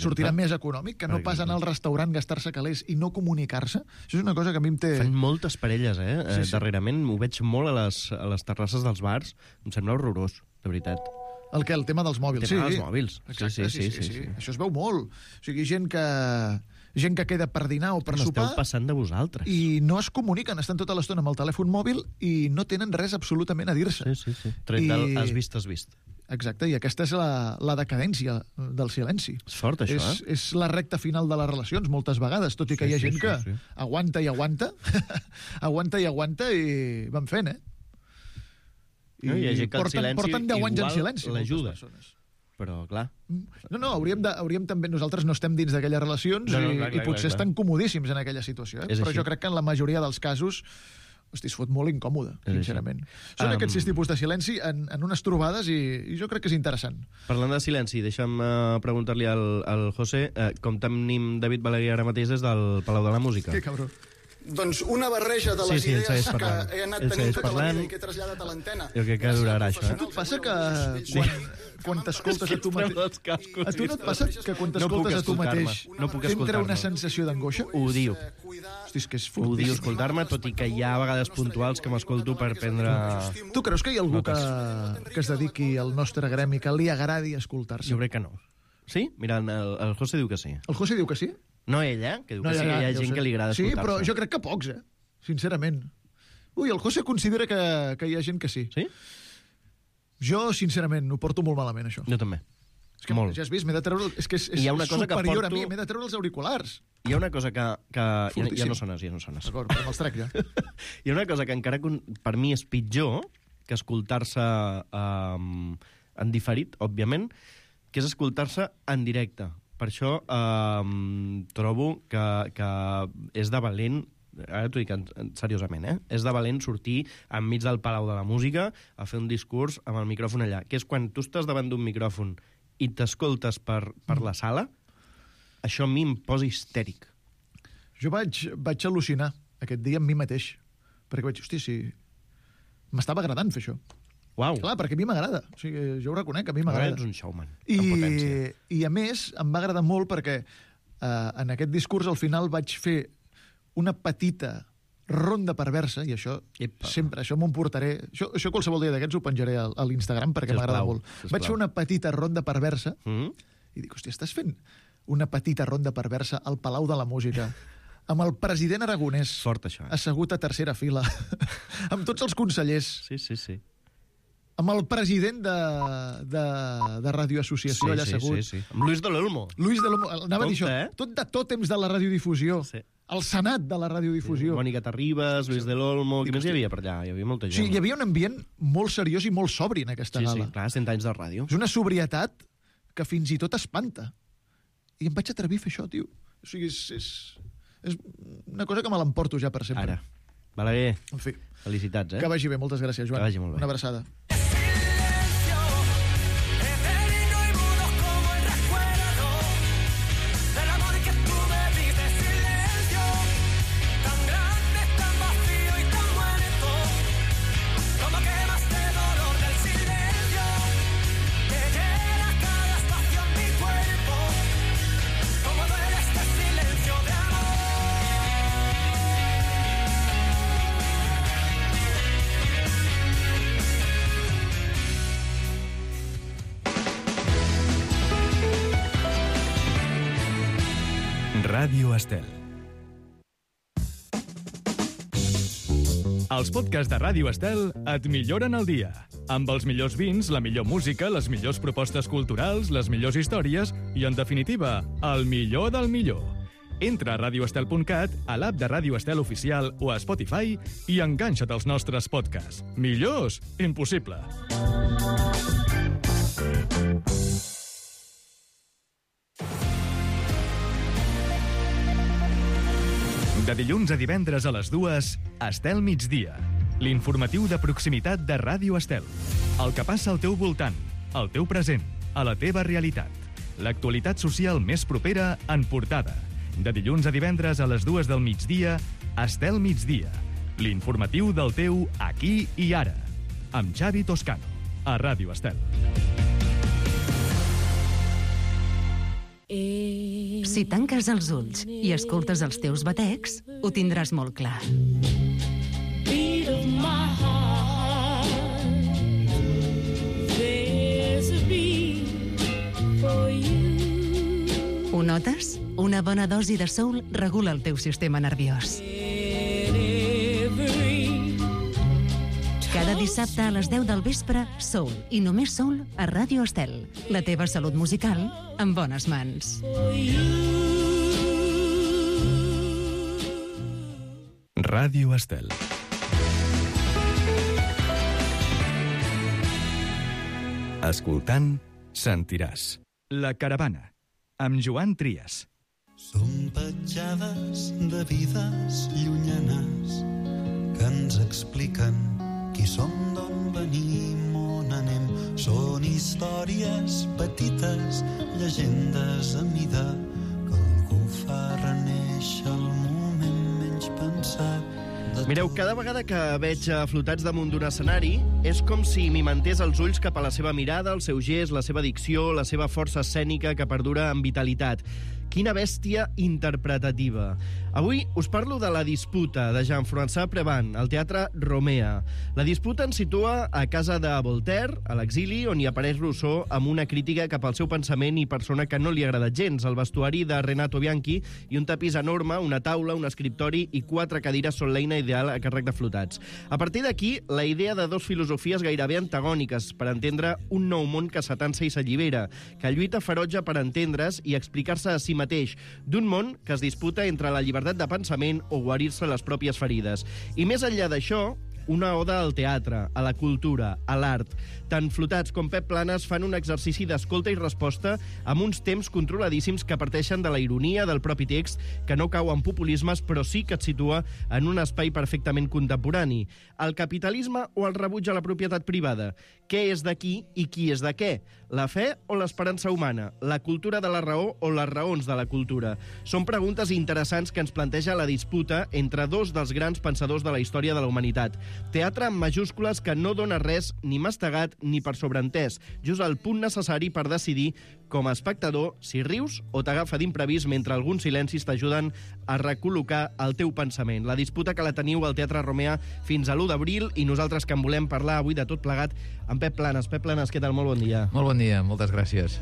sortirà més econòmic que no pas anar al restaurant, gastar-se calés i no comunicar-se. Això és una cosa que a mi em té...
Fan moltes parelles, eh?
Sí, sí.
Darrerament ho veig molt a les, a les terrasses dels bars. Em sembla horrorós, de veritat.
El què? El tema dels mòbils.
El tema
sí.
dels mòbils.
Exacte,
sí, sí,
sí, sí,
sí,
sí,
sí, sí.
Això es veu molt. O sigui, gent que... gent que queda per dinar o per
no
sopar...
Esteu passant de vosaltres.
I no es comuniquen, estan tota l'estona amb el telèfon mòbil i no tenen res absolutament a dir-se.
Sí, sí, sí. Tret del has vist, has vist.
Exacte, i aquesta és la, la decadència del silenci.
És fort, això,
és,
eh?
És la recta final de les relacions, moltes vegades, tot i que
sí,
hi ha
sí,
gent
sí,
que
sí.
aguanta i aguanta, aguanta i aguanta i van fent, eh?
I no, hi ha gent que
porten,
el silenci
porten deu anys en silenci.
L'ajuda. Però, clar...
No, no, hauríem, de, hauríem també... Nosaltres no estem dins d'aquelles relacions
no, no,
i,
clar, clar,
i potser
clar,
estan comodíssims en aquella situació, eh?
És
Però
així.
jo crec que en la majoria dels casos hosti, es fot molt incòmode,
És
sincerament.
així.
Són
Um,
aquests sis tipus de silenci en, en unes trobades i, i jo crec que és interessant.
Parlant de silenci, deixa'm uh, preguntar-li al, al José uh, com tenim David Balaguer ara mateix des del Palau de la Música.
Que cabró.
Doncs una barreja de
Sí,
les
sí, ell
idees
segueix
que
parlant.
he anat
Ell
tenint
segueix
tota la
parlant.
vida i que he traslladat a l'antena.
Jo crec que durarà això,
A
eh?
tu et passa que quan, quan t'escoltes a tu mateix... A tu no et passa que quan t'escoltes a tu mateix
no puc
t'entra
escoltar-me.
una sensació d'angoixa?
Ho diu.
Hosti, és que és
Ho diu
fortíssim.
escoltar-me, tot i que hi ha vegades puntuals que m'escolto per prendre...
Tu creus que hi ha algú que, que es dediqui al nostre gremi, que li agradi escoltar-se?
Jo crec que no. Sí? Mira, el, el José diu que sí.
El José diu que sí?
No ella, que diu
No,
que
ja,
sí,
ja,
hi ha
ja ho
gent
sé.
que li agrada
Sí,
escoltar-se.
però jo crec que pocs, eh? Sincerament. Ui, el José considera que, que hi ha gent que sí.
Sí?
Jo, sincerament, ho porto molt malament, això.
Jo també.
És que,
molt.
ja has vist, m'he de treure... És que és, és
Hi ha una cosa que
superior
porto-
a mi, m'he de treure els auriculars.
Hi ha una cosa que... que ja, ja
Fortíssim.
no sones, ja no sones.
D'acord, però me'ls trec ja.
Hi ha una cosa que encara con- per mi és pitjor que escoltar-se um, en diferit, òbviament, que és escoltar-se en directe. Per això um, trobo que, que és de valent, ara t'ho dic en, en, seriosament, eh? és de valent sortir enmig del Palau de la Música a fer un discurs amb el micròfon allà, que és quan tu estàs davant d'un micròfon i t'escoltes per, per la sala, això a mi em posa histèric.
Jo vaig, vaig al·lucinar aquest dia amb mi mateix, perquè vaig, hosti, sí, m'estava agradant fer això.
Uau.
Clar, perquè a mi m'agrada. O sigui, jo ho reconec, a mi
Ara
m'agrada.
ets un showman,
I,
en potència.
I, a més, em va agradar molt perquè eh, en aquest discurs al final vaig fer una petita ronda perversa, i això
Epa.
sempre, això m'ho emportaré... Això, això qualsevol dia d'aquests ho penjaré a, a l'Instagram perquè
Sisplau,
m'agrada molt.
sisplau.
Vaig fer una petita ronda perversa
Mm?
i dic, hòstia, estàs fent una petita ronda perversa al Palau de la Música amb el president Aragonès.
Fort, això. Eh?
Assegut a tercera fila. Amb tots els consellers.
Sí, sí, sí.
Amb el president de, de, de Ràdio Associació
sí,
allà
sí,
assegut.
Sí, sí. Amb Luis de l'Olmo.
Luis de l'Olmo. Anava a dir això.
Eh?
Tot de tòtems de la radiodifusió. Sí. El senat de la radiodifusió.
Sí, Mònica Terribas, Luis de l'Olmo... Qui més hi havia per allà? Hi havia molta gent.
Sí, hi havia un ambient molt seriós i molt sobri en aquesta
sí,
gala.
Sí, clar, cent anys de ràdio.
És una sobrietat que fins i tot espanta. I em vaig atrevir a fer això, tio. O sigui, és, és, és una cosa que me l'emporto ja per sempre.
Ara. Balaguer,
en fi.
Felicitats, eh?
Que vagi bé, moltes gràcies, Joan.
Que vagi molt bé.
Una abraçada.
Ràdio Estel. Els podcasts de Ràdio Estel et milloren el dia. Amb els millors vins, la millor música, les millors propostes culturals, les millors històries i, en definitiva, el millor del millor. Entra a radio estel punt cat, a l'app de Ràdio Estel Oficial o a Spotify i enganxa't als nostres podcasts. Millors? Impossible. De dilluns a divendres a les dues, Estel Migdia. L'informatiu de proximitat de Ràdio Estel. El que passa al teu voltant, al teu present, a la teva realitat. L'actualitat social més propera en portada. De dilluns a divendres a les dues del migdia, Estel Migdia. L'informatiu del teu aquí i ara. Amb Xavi Toscano, a Ràdio Estel.
Si tanques els ulls i escoltes els teus batecs, ho tindràs molt clar. Ho notes? Una bona dosi de soul regula el teu sistema nerviós. Cada dissabte a les deu del vespre, Soul, i només Soul, a Ràdio Estel. La teva salut musical en bones mans.
Ràdio Estel. Escoltant, sentiràs. La caravana, amb Joan Trias.
Som petjades de vides llunyanes que ens expliquen qui som, d'on venim, on anem. Són històries petites, llegendes a mida, que algú fa reneixer el moment menys pensat.
Mireu, cada vegada que veig flotats damunt d'un escenari és com si m'imentés els ulls cap a la seva mirada, el seu gest, la seva dicció, la seva força escènica que perdura amb vitalitat. Quina bèstia interpretativa. Avui us parlo de La disputa, de Jean-François Prévan, al Teatre Romea. La disputa ens situa a casa de Voltaire, a l'exili, on hi apareix Rousseau amb una crítica cap al seu pensament i persona que no li ha agradat gens, el vestuari de Renato Bianchi i un tapís enorme, una taula, un escriptori i quatre cadires són l'eina ideal a càrrec de flotats. A partir d'aquí, la idea de dos filosofies gairebé antagòniques per entendre un nou món que s'atansa i s'allibera, que lluita ferotge per entendre's i explicar-se a si mateix, d'un món que es disputa entre la llibertat de pensament o guarir-se les pròpies ferides. I més enllà d'això, una oda al teatre, a la cultura, a l'art. Tant Flotats com Pep Planes fan un exercici d'escolta i resposta amb uns temps controladíssims que parteixen de la ironia del propi text, que no cau en populismes, però sí que et situa en un espai perfectament contemporani. El capitalisme o el rebuig a la propietat privada? Què és de qui i qui és de què? La fe o l'esperança humana? La cultura de la raó o les raons de la cultura? Són preguntes interessants que ens planteja la disputa entre dos dels grans pensadors de la història de la humanitat. Teatre amb majúscules que no dona res ni mastegat ni per sobreentès, just el punt necessari per decidir com a espectador si rius o t'agafa d'imprevist mentre alguns silencis t'ajuden a recol·locar el teu pensament. La disputa que la teniu al Teatre Romea fins a l'u d'abril i nosaltres que en volem parlar avui de tot plegat amb Pep Planes. Pep Planes, què tal? Molt bon dia.
Molt bon dia, moltes gràcies.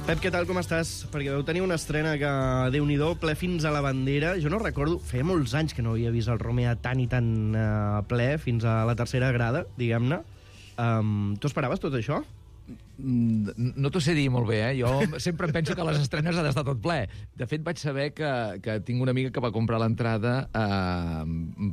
Pep, què tal, com estàs? Perquè vau tenir una estrena que, Déu-n'hi-do, ple fins a la bandera. Jo no recordo, feia molts anys que no havia vist el Romea tan i tan uh, ple, fins a la tercera grada, diguem-ne. Um, tu esperaves tot això?
No t'ho sé dir molt bé, eh? Jo sempre penso que a les estrenes ha d'estar tot ple. De fet, vaig saber que, que tinc una amiga que va comprar l'entrada eh,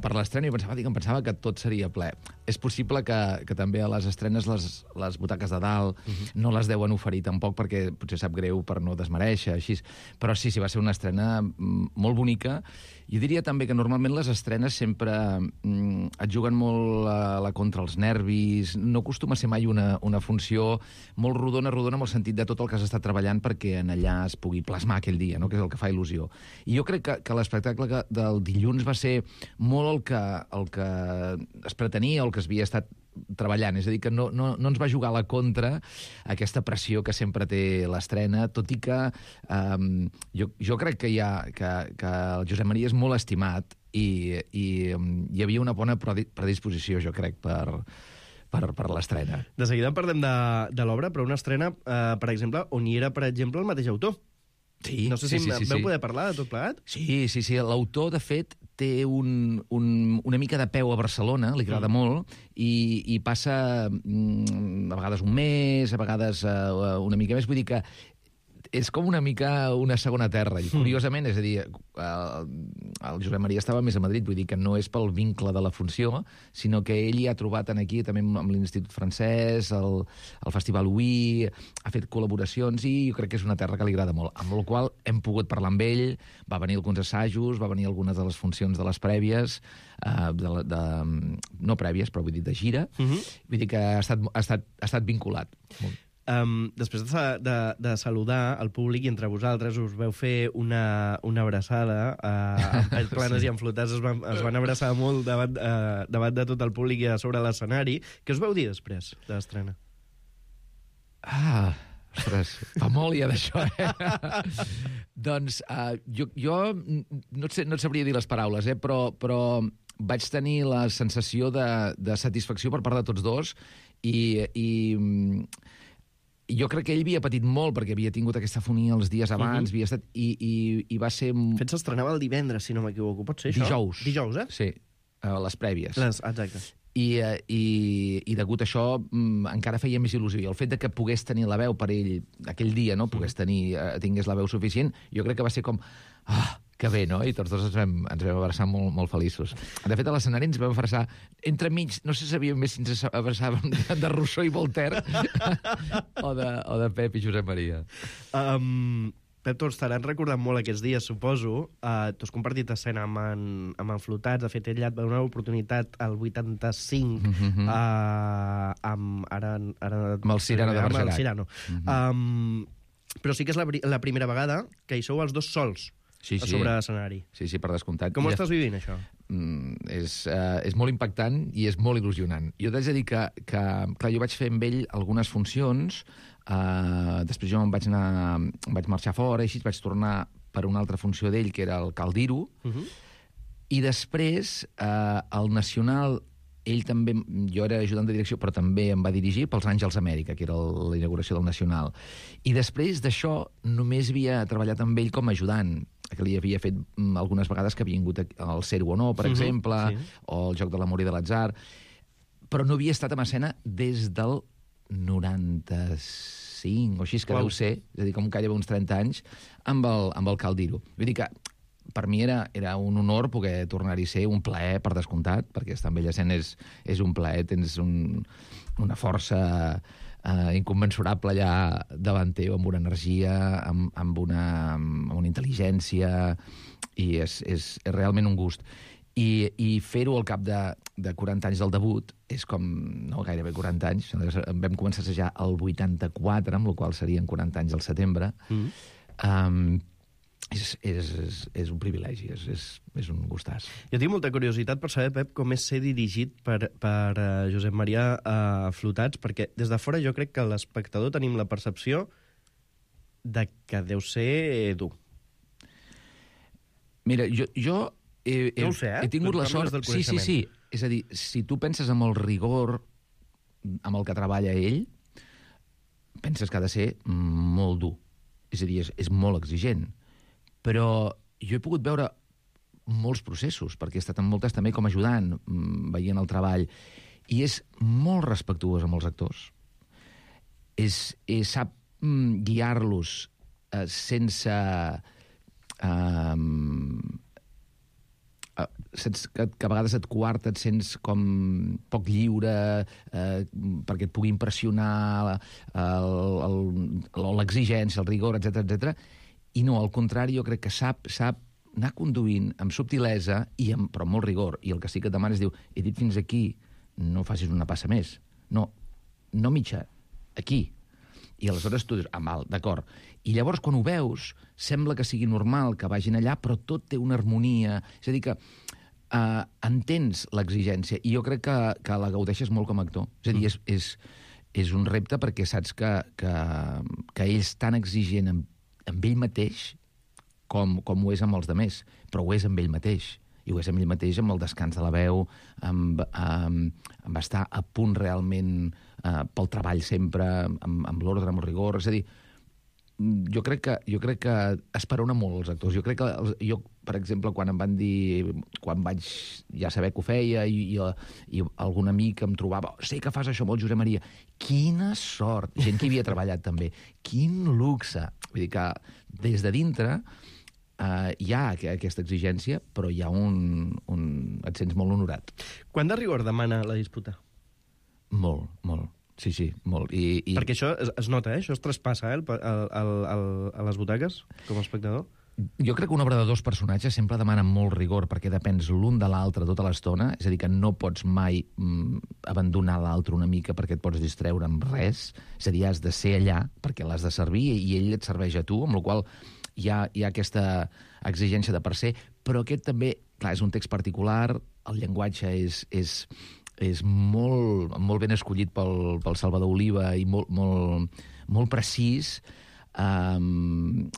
per l'estrena i pensava, dic, em pensava que tot seria ple. És possible que, que també a les estrenes les, les butaques de dalt uh-huh. no les deuen oferir tampoc perquè potser sap greu per no desmereixer, així. Però sí, sí, va ser una estrena molt bonica. Jo diria també que normalment les estrenes sempre mm, et juguen molt a la contra els nervis, no acostuma a ser mai una, una funció molt rodona, rodona en el sentit de tot el que has estat treballant perquè en allà es pugui plasmar aquell dia, no? Que és el que fa il·lusió. I jo crec que, que l'espectacle del dilluns va ser molt el que, el que es pretenia, el que es havia estat treballant, és a dir, que no, no, no ens va jugar a la contra aquesta pressió que sempre té l'estrena, tot i que um, jo, jo crec que, hi ha, que, que el Josep Maria és molt estimat i, i um, hi havia una bona predisposició, jo crec, per, per, per l'estrena.
De seguida parlem de, de l'obra, però una estrena, eh, per exemple, on hi era, per exemple, el mateix autor.
Sí,
no sé
sí,
si
sí, sí,
veu
sí.
poder parlar de tot plegat?
Sí, sí, sí. L'autor, de fet, té un, un, una mica de peu a Barcelona, li agrada mm. molt, i, i passa mm, a vegades un mes, a vegades uh, una mica més. Vull dir que és com una mica una segona terra. I curiosament, és a dir, el, el Josep Maria estava més a Madrid, vull dir que no és pel vincle de la funció, sinó que ell hi ha trobat aquí, també amb l'Institut Francès, el, el Festival Uí, ha fet col·laboracions i jo crec que és una terra que li agrada molt. Amb la qual hem pogut parlar amb ell, va venir alguns assajos, va venir algunes de les funcions de les prèvies, eh, de, de, no prèvies, però vull dir de gira, uh-huh. vull dir que ha estat, ha estat, ha estat vinculat. Molt.
Um, després de, de, de saludar el públic i entre vosaltres us veu fer una, una abraçada uh, amb planes sí. i amb flotats es van, es van abraçar molt davant, uh, davant de tot el públic i a sobre l'escenari. Què us veu dir després de l'estrena?
Ah, ostres, fa molt ja d'això, eh? Doncs uh, jo, jo no, et sé, no et sabria dir les paraules, eh? però, però vaig tenir la sensació de, de satisfacció per part de tots dos i... i jo crec que ell havia patit molt perquè havia tingut aquesta fonia els dies abans, uh-huh. havia estat... I, i, i va ser...
De fet, s'estrenava el divendres, si no m'equivoco. Pot ser això?
Dijous.
Dijous, eh?
Sí, a les prèvies.
Les, exacte.
I, i, i degut a això mm, encara feia més il·lusió. I el fet de que pogués tenir la veu per ell aquell dia, no? Pogués tenir, eh, tingués la veu suficient, jo crec que va ser com... Ah, que bé, no? I tots dos ens vam, ens vam abraçar molt, molt feliços. De fet, a l'escenari ens vam abraçar entremig, no sé si sabíem més si ens abraçàvem de Rousseau i Voltaire o, de, o de Pep i Josep Maria.
Um, Pep, tu estaràs recordant molt aquests dies, suposo. Uh, tu has compartit escena amb en, amb en Flotats. De fet, ell et va donar l'oportunitat al vuitanta-cinc mm-hmm. uh, amb, ara, ara,
amb el Cirano de Bergerac.
Amb el Cirano. Mm-hmm. Um, però sí que és la, la primera vegada que hi sou els dos sols.
Sí, sí.
A sobre l'escenari.
Sí, sí, per descomptat.
Com ho estàs vivint, això?
Mm, és, uh, és molt impactant i és molt il·lusionant. Jo t'haig de dir que, que, clar, jo vaig fer amb ell algunes funcions, uh, després jo em vaig anar, em vaig marxar fora, i així vaig tornar per una altra funció d'ell, que era el Caldiro, uh-huh. i després uh, el Nacional... Ell també, jo era ajudant de direcció, però també em va dirigir pels Àngels Amèrica, que era el, la inauguració del Nacional. I després d'això només havia treballat amb ell com a ajudant, que li havia fet algunes vegades que havia vingut el Ser o no, per uh-huh, exemple, sí. o el Joc de l'amor i de l'atzar, però no havia estat en escena des del noranta-cinc, o així que wow. deu ser, és a dir, com gairebé uns trenta anys, amb el, amb el Caldiro. Vull dir que per mi era, era un honor poder tornar-hi a ser, un plaer, per descomptat, perquè estar amb Bellacent és, és un plaer, tens un, una força eh, incommensurable allà davant teu, amb una energia, amb, amb, una, amb una intel·ligència, i és, és, és realment un gust. I, i fer-ho al cap de, de quaranta anys del debut és com, no, gairebé quaranta anys. Vam començar a assajar el vuitanta-quatre, amb la qual serien quaranta anys al setembre. Mm. Um, És, és, és, és un privilegi, és, és, és un gustàs.
Jo tinc molta curiositat per saber, Pep, com és ser dirigit per, per uh, Josep Maria uh, Flotats, perquè des de fora jo crec que l'espectador tenim la percepció de que deu ser dur.
Mira, jo, jo he, he,
no ho sé, eh?
he tingut la sort... Sí, sí, sí. És a dir, si tu penses amb el rigor amb el que treballa ell, penses que ha de ser molt dur. és a dir, és, és molt exigent. Però jo he pogut veure molts processos, perquè he estat en moltes també com ajudant, veient el treball, i és molt respectuós amb els actors. És, és, sap mm, guiar-los eh, sense... Eh, sense que, que a vegades et coarta, et sents com poc lliure eh, perquè et pugui impressionar l'exigència, el rigor, etcètera, etcètera. I no, al contrari, jo crec que sap, sap anar conduint amb subtilesa, i amb, però amb molt rigor. I el que sí que et demana és, diu, he dit fins aquí, no facis una passa més. No, no mitja, aquí. I aleshores tu dius, ah, mal, d'acord. I llavors, quan ho veus, sembla que sigui normal que vagin allà, però tot té una harmonia. És a dir, que eh, entens l'exigència, i jo crec que, que la gaudeixes molt com a actor. És a dir, és, és, és un repte perquè saps que, que, que ell és tan exigent amb, amb ell mateix com, com ho és amb els demés, però ho és amb ell mateix. I ho és amb ell mateix, amb el descans de la veu, amb, amb, amb estar a punt realment eh, pel treball sempre, amb, amb l'ordre, amb el rigor. És a dir, jo crec que, jo crec que esperona molt els actors. Jo crec que, els, jo, per exemple, quan em van dir, quan vaig ja saber que ho feia, i, i, i algun amic em trobava, sé que fas això molt, Josep Maria, quina sort! Gent que hi havia treballat també. Quin luxe! Vull dir que des de dintre Uh, hi ha aquesta exigència, però hi ha un, un... et sents molt honorat.
Quant de rigor demana la disputa?
Molt, molt. Sí, sí, molt. I, i...
Perquè això es, es nota, eh? Això es traspassa, eh? El, el, el, el, a les butaques, com a espectador.
Jo crec que una obra de dos personatges sempre demana molt rigor, perquè depens l'un de l'altre tota l'estona, és a dir, que no pots mai mm, abandonar l'altre una mica perquè et pots distreure amb res, és a dir, has de ser allà perquè l'has de servir i ell et serveix a tu, amb la qual cosa hi ha, hi ha aquesta exigència de per ser, però aquest també, clar, és un text particular, el llenguatge és, és, és molt, molt ben escollit pel, pel Salvador Oliva i molt, molt, molt precís. Um,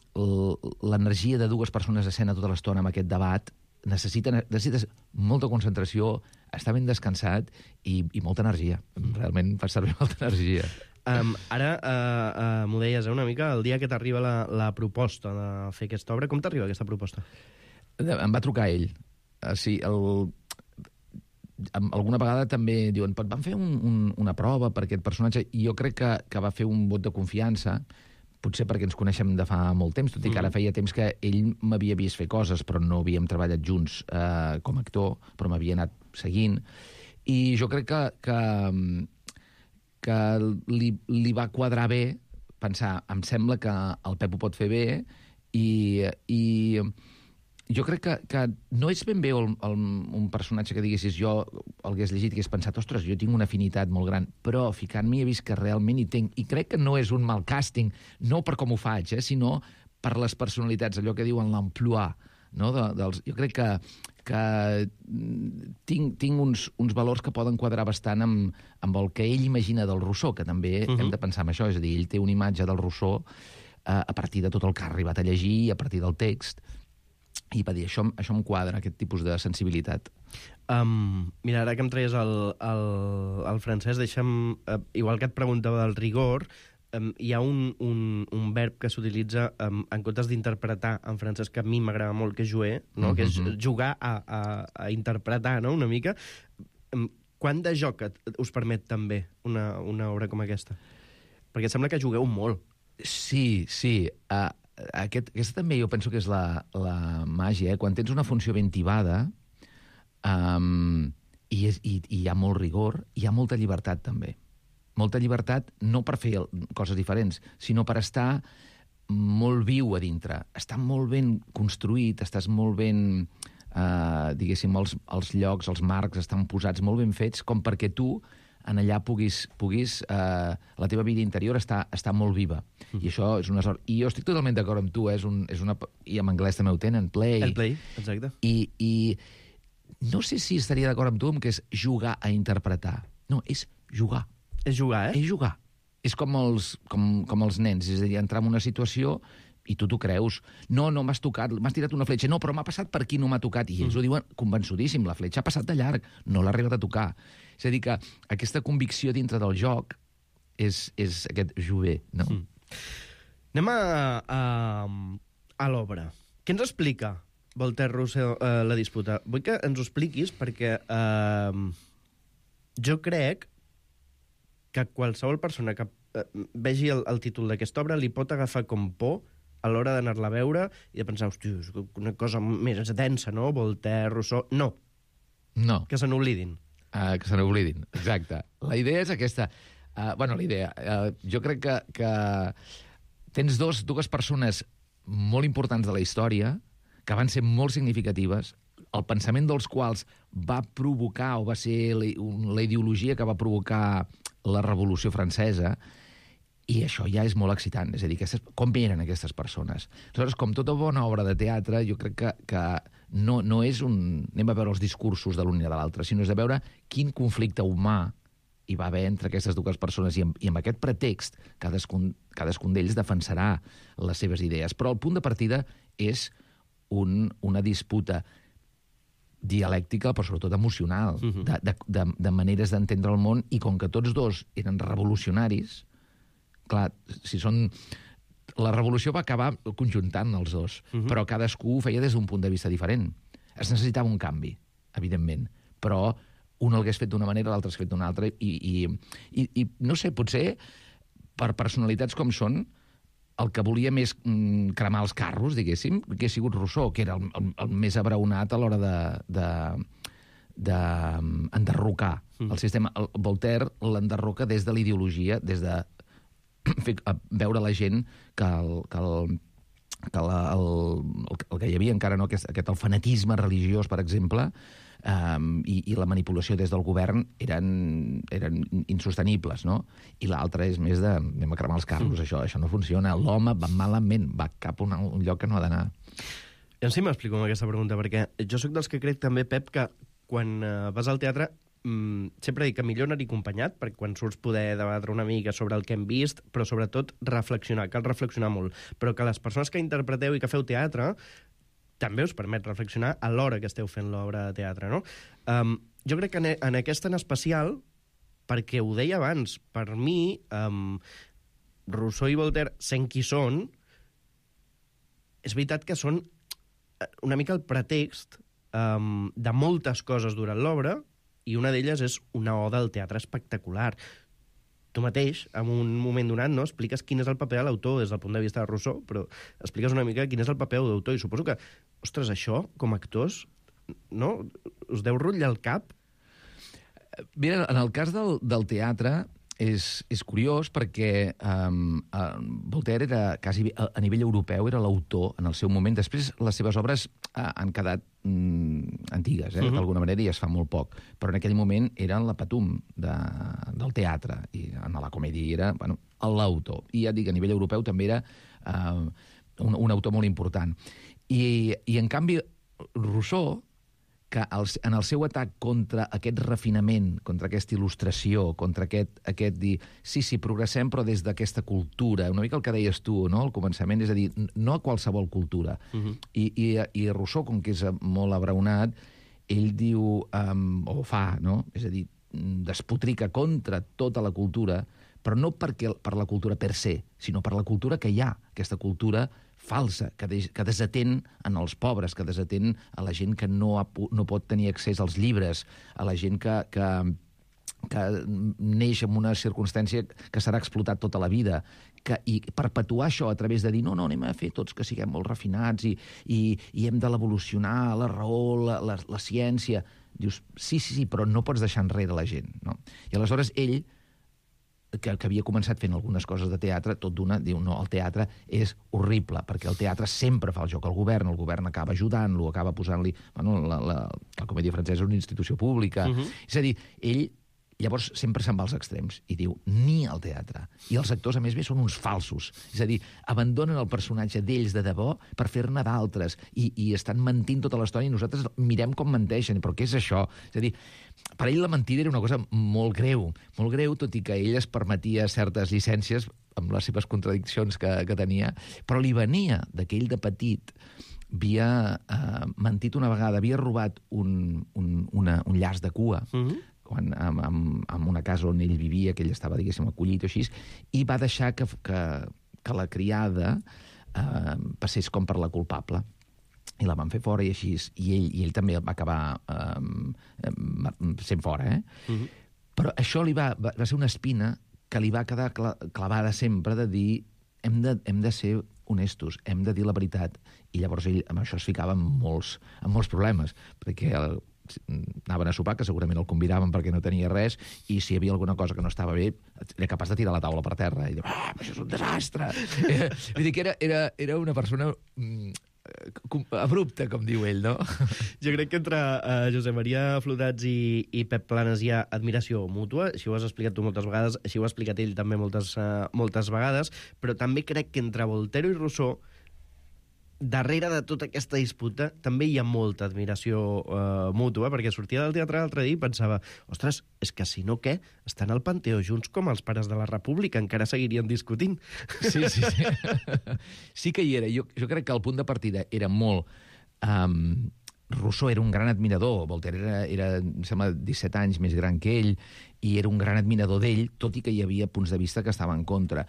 l'energia de dues persones a escena tota l'estona amb aquest debat necessita, necessites molta concentració, estar ben descansat i, i molta energia. Realment fas servir molta energia.
Um, ara, uh, uh, m'ho deies, eh, una mica, el dia que t'arriba la, la proposta de fer aquesta obra, com t'arriba aquesta proposta?
Em va trucar ell. Uh, sí, el... alguna vegada també diuen, van fer un, un, una prova per aquest personatge, i jo crec que, que va fer un vot de confiança, potser perquè ens coneixem de fa molt temps, tot i que ara feia temps que ell m'havia vist fer coses, però no havíem treballat junts eh, com a actor, però m'havia anat seguint. I jo crec que, que, que li, li va quadrar bé pensar, em sembla que el Pep ho pot fer bé, i, i jo crec que, que no és ben bé el, el, un personatge que diguessis jo el hagués llegit i hagués pensat, ostres, jo tinc una afinitat molt gran, però ficant-m'hi he vist que realment hi tinc, i crec que no és un mal càsting, no per com ho faig, eh, sinó per les personalitats, allò que diuen l'emploi, no? De, dels, jo crec que, que tinc, tinc uns, uns valors que poden quadrar bastant amb, amb el que ell imagina del Rousseau, que també uh-huh. hem de pensar en això, és a dir, ell té una imatge del Rousseau eh, a partir de tot el que ha arribat a llegir, a partir del text, i va dir, això, això em quadra, aquest tipus de sensibilitat.
Um, mira, ara que em traies el, el, el francès, deixa'm, uh, igual que et preguntava del rigor, um, hi ha un, un, un verb que s'utilitza um, en comptes d'interpretar en francès, que a mi m'agrada molt, que és jouer, no? Mm-hmm. Que és jugar a, a, a interpretar, no?, una mica. Um, quant de joc et, us permet també una, una obra com aquesta? Perquè sembla que jugueu molt.
Sí, sí. Uh, aquest, aquesta també jo penso que és la, la màgia, eh? Quan tens una funció ben tibada, um, i, és, i, i hi ha molt rigor, hi ha molta llibertat també. Molta llibertat no per fer coses diferents, sinó per estar molt viu a dintre. Està molt ben construït, estàs molt ben... Uh, diguéssim, els, els llocs, els marcs estan posats molt ben fets, com perquè tu en allà puguis... puguis uh, la teva vida interior està, està molt viva. Mm. I això és una sort. I jo estic totalment d'acord amb tu, eh? és un, és una, i en anglès també ho tenen, play.
El play, exacte.
I, i no sé si estaria d'acord amb tu amb que és jugar a interpretar. No, és jugar.
És jugar, eh?
És jugar. És com els, com, com els nens, és a dir, entrar en una situació i tu t'ho creus. No, no m'has tocat, m'has tirat una fletxa. No, però m'ha passat per aquí, no m'ha tocat. I ells mm. ho diuen convençudíssim, la fletxa ha passat de llarg, no l'ha arribat a tocar. És a dir, que aquesta convicció dintre del joc és, és aquest jouer, no? Mm.
Anem a, a, a l'obra. Què ens explica Voltaire Rousseau eh, la disputa? Vull que ens ho expliquis perquè eh, jo crec que qualsevol persona que eh, vegi el, el títol d'aquesta obra li pot agafar com por a l'hora d'anar-la a veure i de pensar, hòstia, és una cosa més densa, no? Voltaire, Rousseau... No.
No.
Que se n'oblidin.
Uh, que se n'oblidin, exacte. La idea és aquesta. Uh, bueno, la idea... Uh, jo crec que, que tens dos, dues persones molt importants de la història que van ser molt significatives, el pensament dels quals va provocar, o va ser la, la ideologia que va provocar la Revolució Francesa, i això ja és molt excitant. És a dir, aquestes, com eren aquestes persones? Aleshores, com tota bona obra de teatre, jo crec que, que no, no és un... anem a veure els discursos de l'un i de l'altre, sinó és de veure quin conflicte humà hi va haver entre aquestes dues persones, i amb, i amb aquest pretext cadascun, cadascun d'ells defensarà les seves idees. Però el punt de partida és un, una disputa dialèctica, però sobretot emocional, uh-huh. de, de, de, de maneres d'entendre el món, i com que tots dos eren revolucionaris, clar, si són... La revolució va acabar conjuntant els dos, uh-huh. però cadascú ho feia des d'un punt de vista diferent. Es necessitava un canvi, evidentment, però un l'hagués fet d'una manera, l'altre l'hagués fet d'una altra, i, i, i, i no sé, potser per personalitats com són, el que volia més mm, cremar els carros, diguéssim, que ha sigut Rousseau, que era el, el, el més abraonat a l'hora de... de d'enderrocar de, mm. el sistema. El Voltaire l'enderroca des de la ideologia, des de fer, veure la gent que el, que el, que la, el, el que hi havia encara, no, aquest, aquest el fanatisme religiós, per exemple, um, i, i la manipulació des del govern eren, eren insostenibles, no? I l'altre és més de anem a cremar els carros, mm. això, això no funciona. L'home va malament, va cap a un, un lloc que no ha d'anar.
Jo sí m'explico amb aquesta pregunta, perquè jo sóc dels que crec també, Pep, que quan uh, vas al teatre mm, sempre dic que millor anar-hi acompanyat, perquè quan surts poder debatre una mica sobre el que hem vist, però sobretot reflexionar, cal reflexionar molt. Però que les persones que interpreteu i que feu teatre també us permet reflexionar a l'hora que esteu fent l'obra de teatre, no? Um, jo crec que en, en aquesta en especial, perquè ho deia abans, per mi, um, Rousseau i Voltaire, sent qui són, és veritat que són una mica el pretext um, de moltes coses durant l'obra, i una d'elles és una oda al teatre espectacular. Tu mateix, en un moment donat, no, expliques quin és el paper de l'autor des del punt de vista de Rousseau, però expliques una mica quin és el paper de l'autor, i suposo que, ostres, això, com a actors, no? Us deu rotllar el cap?
Mira, en el cas del, del teatre és, és curiós perquè um, uh, Voltaire era quasi a, a nivell europeu, era l'autor en el seu moment. Després les seves obres uh, han quedat mm, antigues, eh, uh-huh. d'alguna manera, i es fa molt poc. Però en aquell moment eren la patum de, del teatre, i en la comèdia era bueno, l'autor. I ja dic, a nivell europeu també era uh, un, un autor molt important. I, i en canvi, Rousseau, que en el seu atac contra aquest refinament, contra aquesta il·lustració, contra aquest, aquest dir, sí, sí, progressem, però des d'aquesta cultura, una mica el que deies tu, no?, al començament, és a dir, no a qualsevol cultura. Uh-huh. I, i, I Rousseau, com que és molt abraonat, ell diu, um, o fa, no?, és a dir, despotrica contra tota la cultura, però no perquè, per la cultura per se, sinó per la cultura que hi ha, aquesta cultura falsa, que, de, que desatén en els pobres, que desatén a la gent que no, ha, no pot tenir accés als llibres, a la gent que, que, que neix en una circumstància que serà explotat tota la vida, que, i perpetuar això a través de dir no, no, anem a fer tots que siguem molt refinats i, i, i hem de l'evolucionar, la raó, la, la, la ciència. Dius, sí, sí, sí, però no pots deixar enrere la gent, no? I aleshores ell, que, que havia començat fent algunes coses de teatre, tot d'una, diu, no, el teatre és horrible, perquè el teatre sempre fa el joc al govern, el govern acaba ajudant-lo, acaba posant-li... Bueno, la, la, la comèdia francesa és una institució pública. Uh-huh. És a dir, ell llavors sempre se'n va als extrems i diu, ni al teatre. I els actors, a més bé, són uns falsos. És a dir, abandonen el personatge d'ells de debò per fer-ne d'altres i, i estan mentint tota l'estona i nosaltres mirem com menteixen. Però què és això? És a dir, per ell la mentida era una cosa molt greu, molt greu, tot i que ell es permetia certes llicències amb les seves contradiccions que, que tenia, però li venia de que ell de petit havia eh, mentit una vegada, havia robat un, un, una, un llaç de cua, uh-huh. quan, en, en, en una casa on ell vivia, que ell estava, diguéssim, acollit o així, i va deixar que, que, que la criada eh, passés com per la culpable. I la van fer fora i així. I ell, i ell també va acabar eh, sent fora, eh? Uh-huh. Però això li va, va, va ser una espina que li va quedar clavada sempre de dir hem de, hem de ser honestos, hem de dir la veritat. I llavors ell amb això es ficava en molts, en molts problemes, perquè el, anaven a sopar, que segurament el convidaven perquè no tenia res, i si hi havia alguna cosa que no estava bé, era capaç de tirar la taula per terra i dir, ah, això és un desastre. Vull dir que era, era, era una persona abrupta, com diu ell, no?
Jo crec que entre uh, Josep Maria Flotats i, i Pep Planes hi ha admiració mútua, així ho has explicat tu moltes vegades, així ho ha explicat ell també moltes, uh, moltes vegades, però també crec que entre Voltaire i Rousseau, darrere de tota aquesta disputa també hi ha molta admiració uh, mútua, perquè sortia del teatre l'altre dia i pensava, ostres, és que si no què, estan al Panteó junts com els pares de la República, encara seguirien discutint.
Sí, sí, sí. Sí que hi era. Jo, jo crec que el punt de partida era molt... Um, Rousseau era un gran admirador, Voltaire era, era em sembla, disset anys més gran que ell, i era un gran admirador d'ell, tot i que hi havia punts de vista que estaven en contra.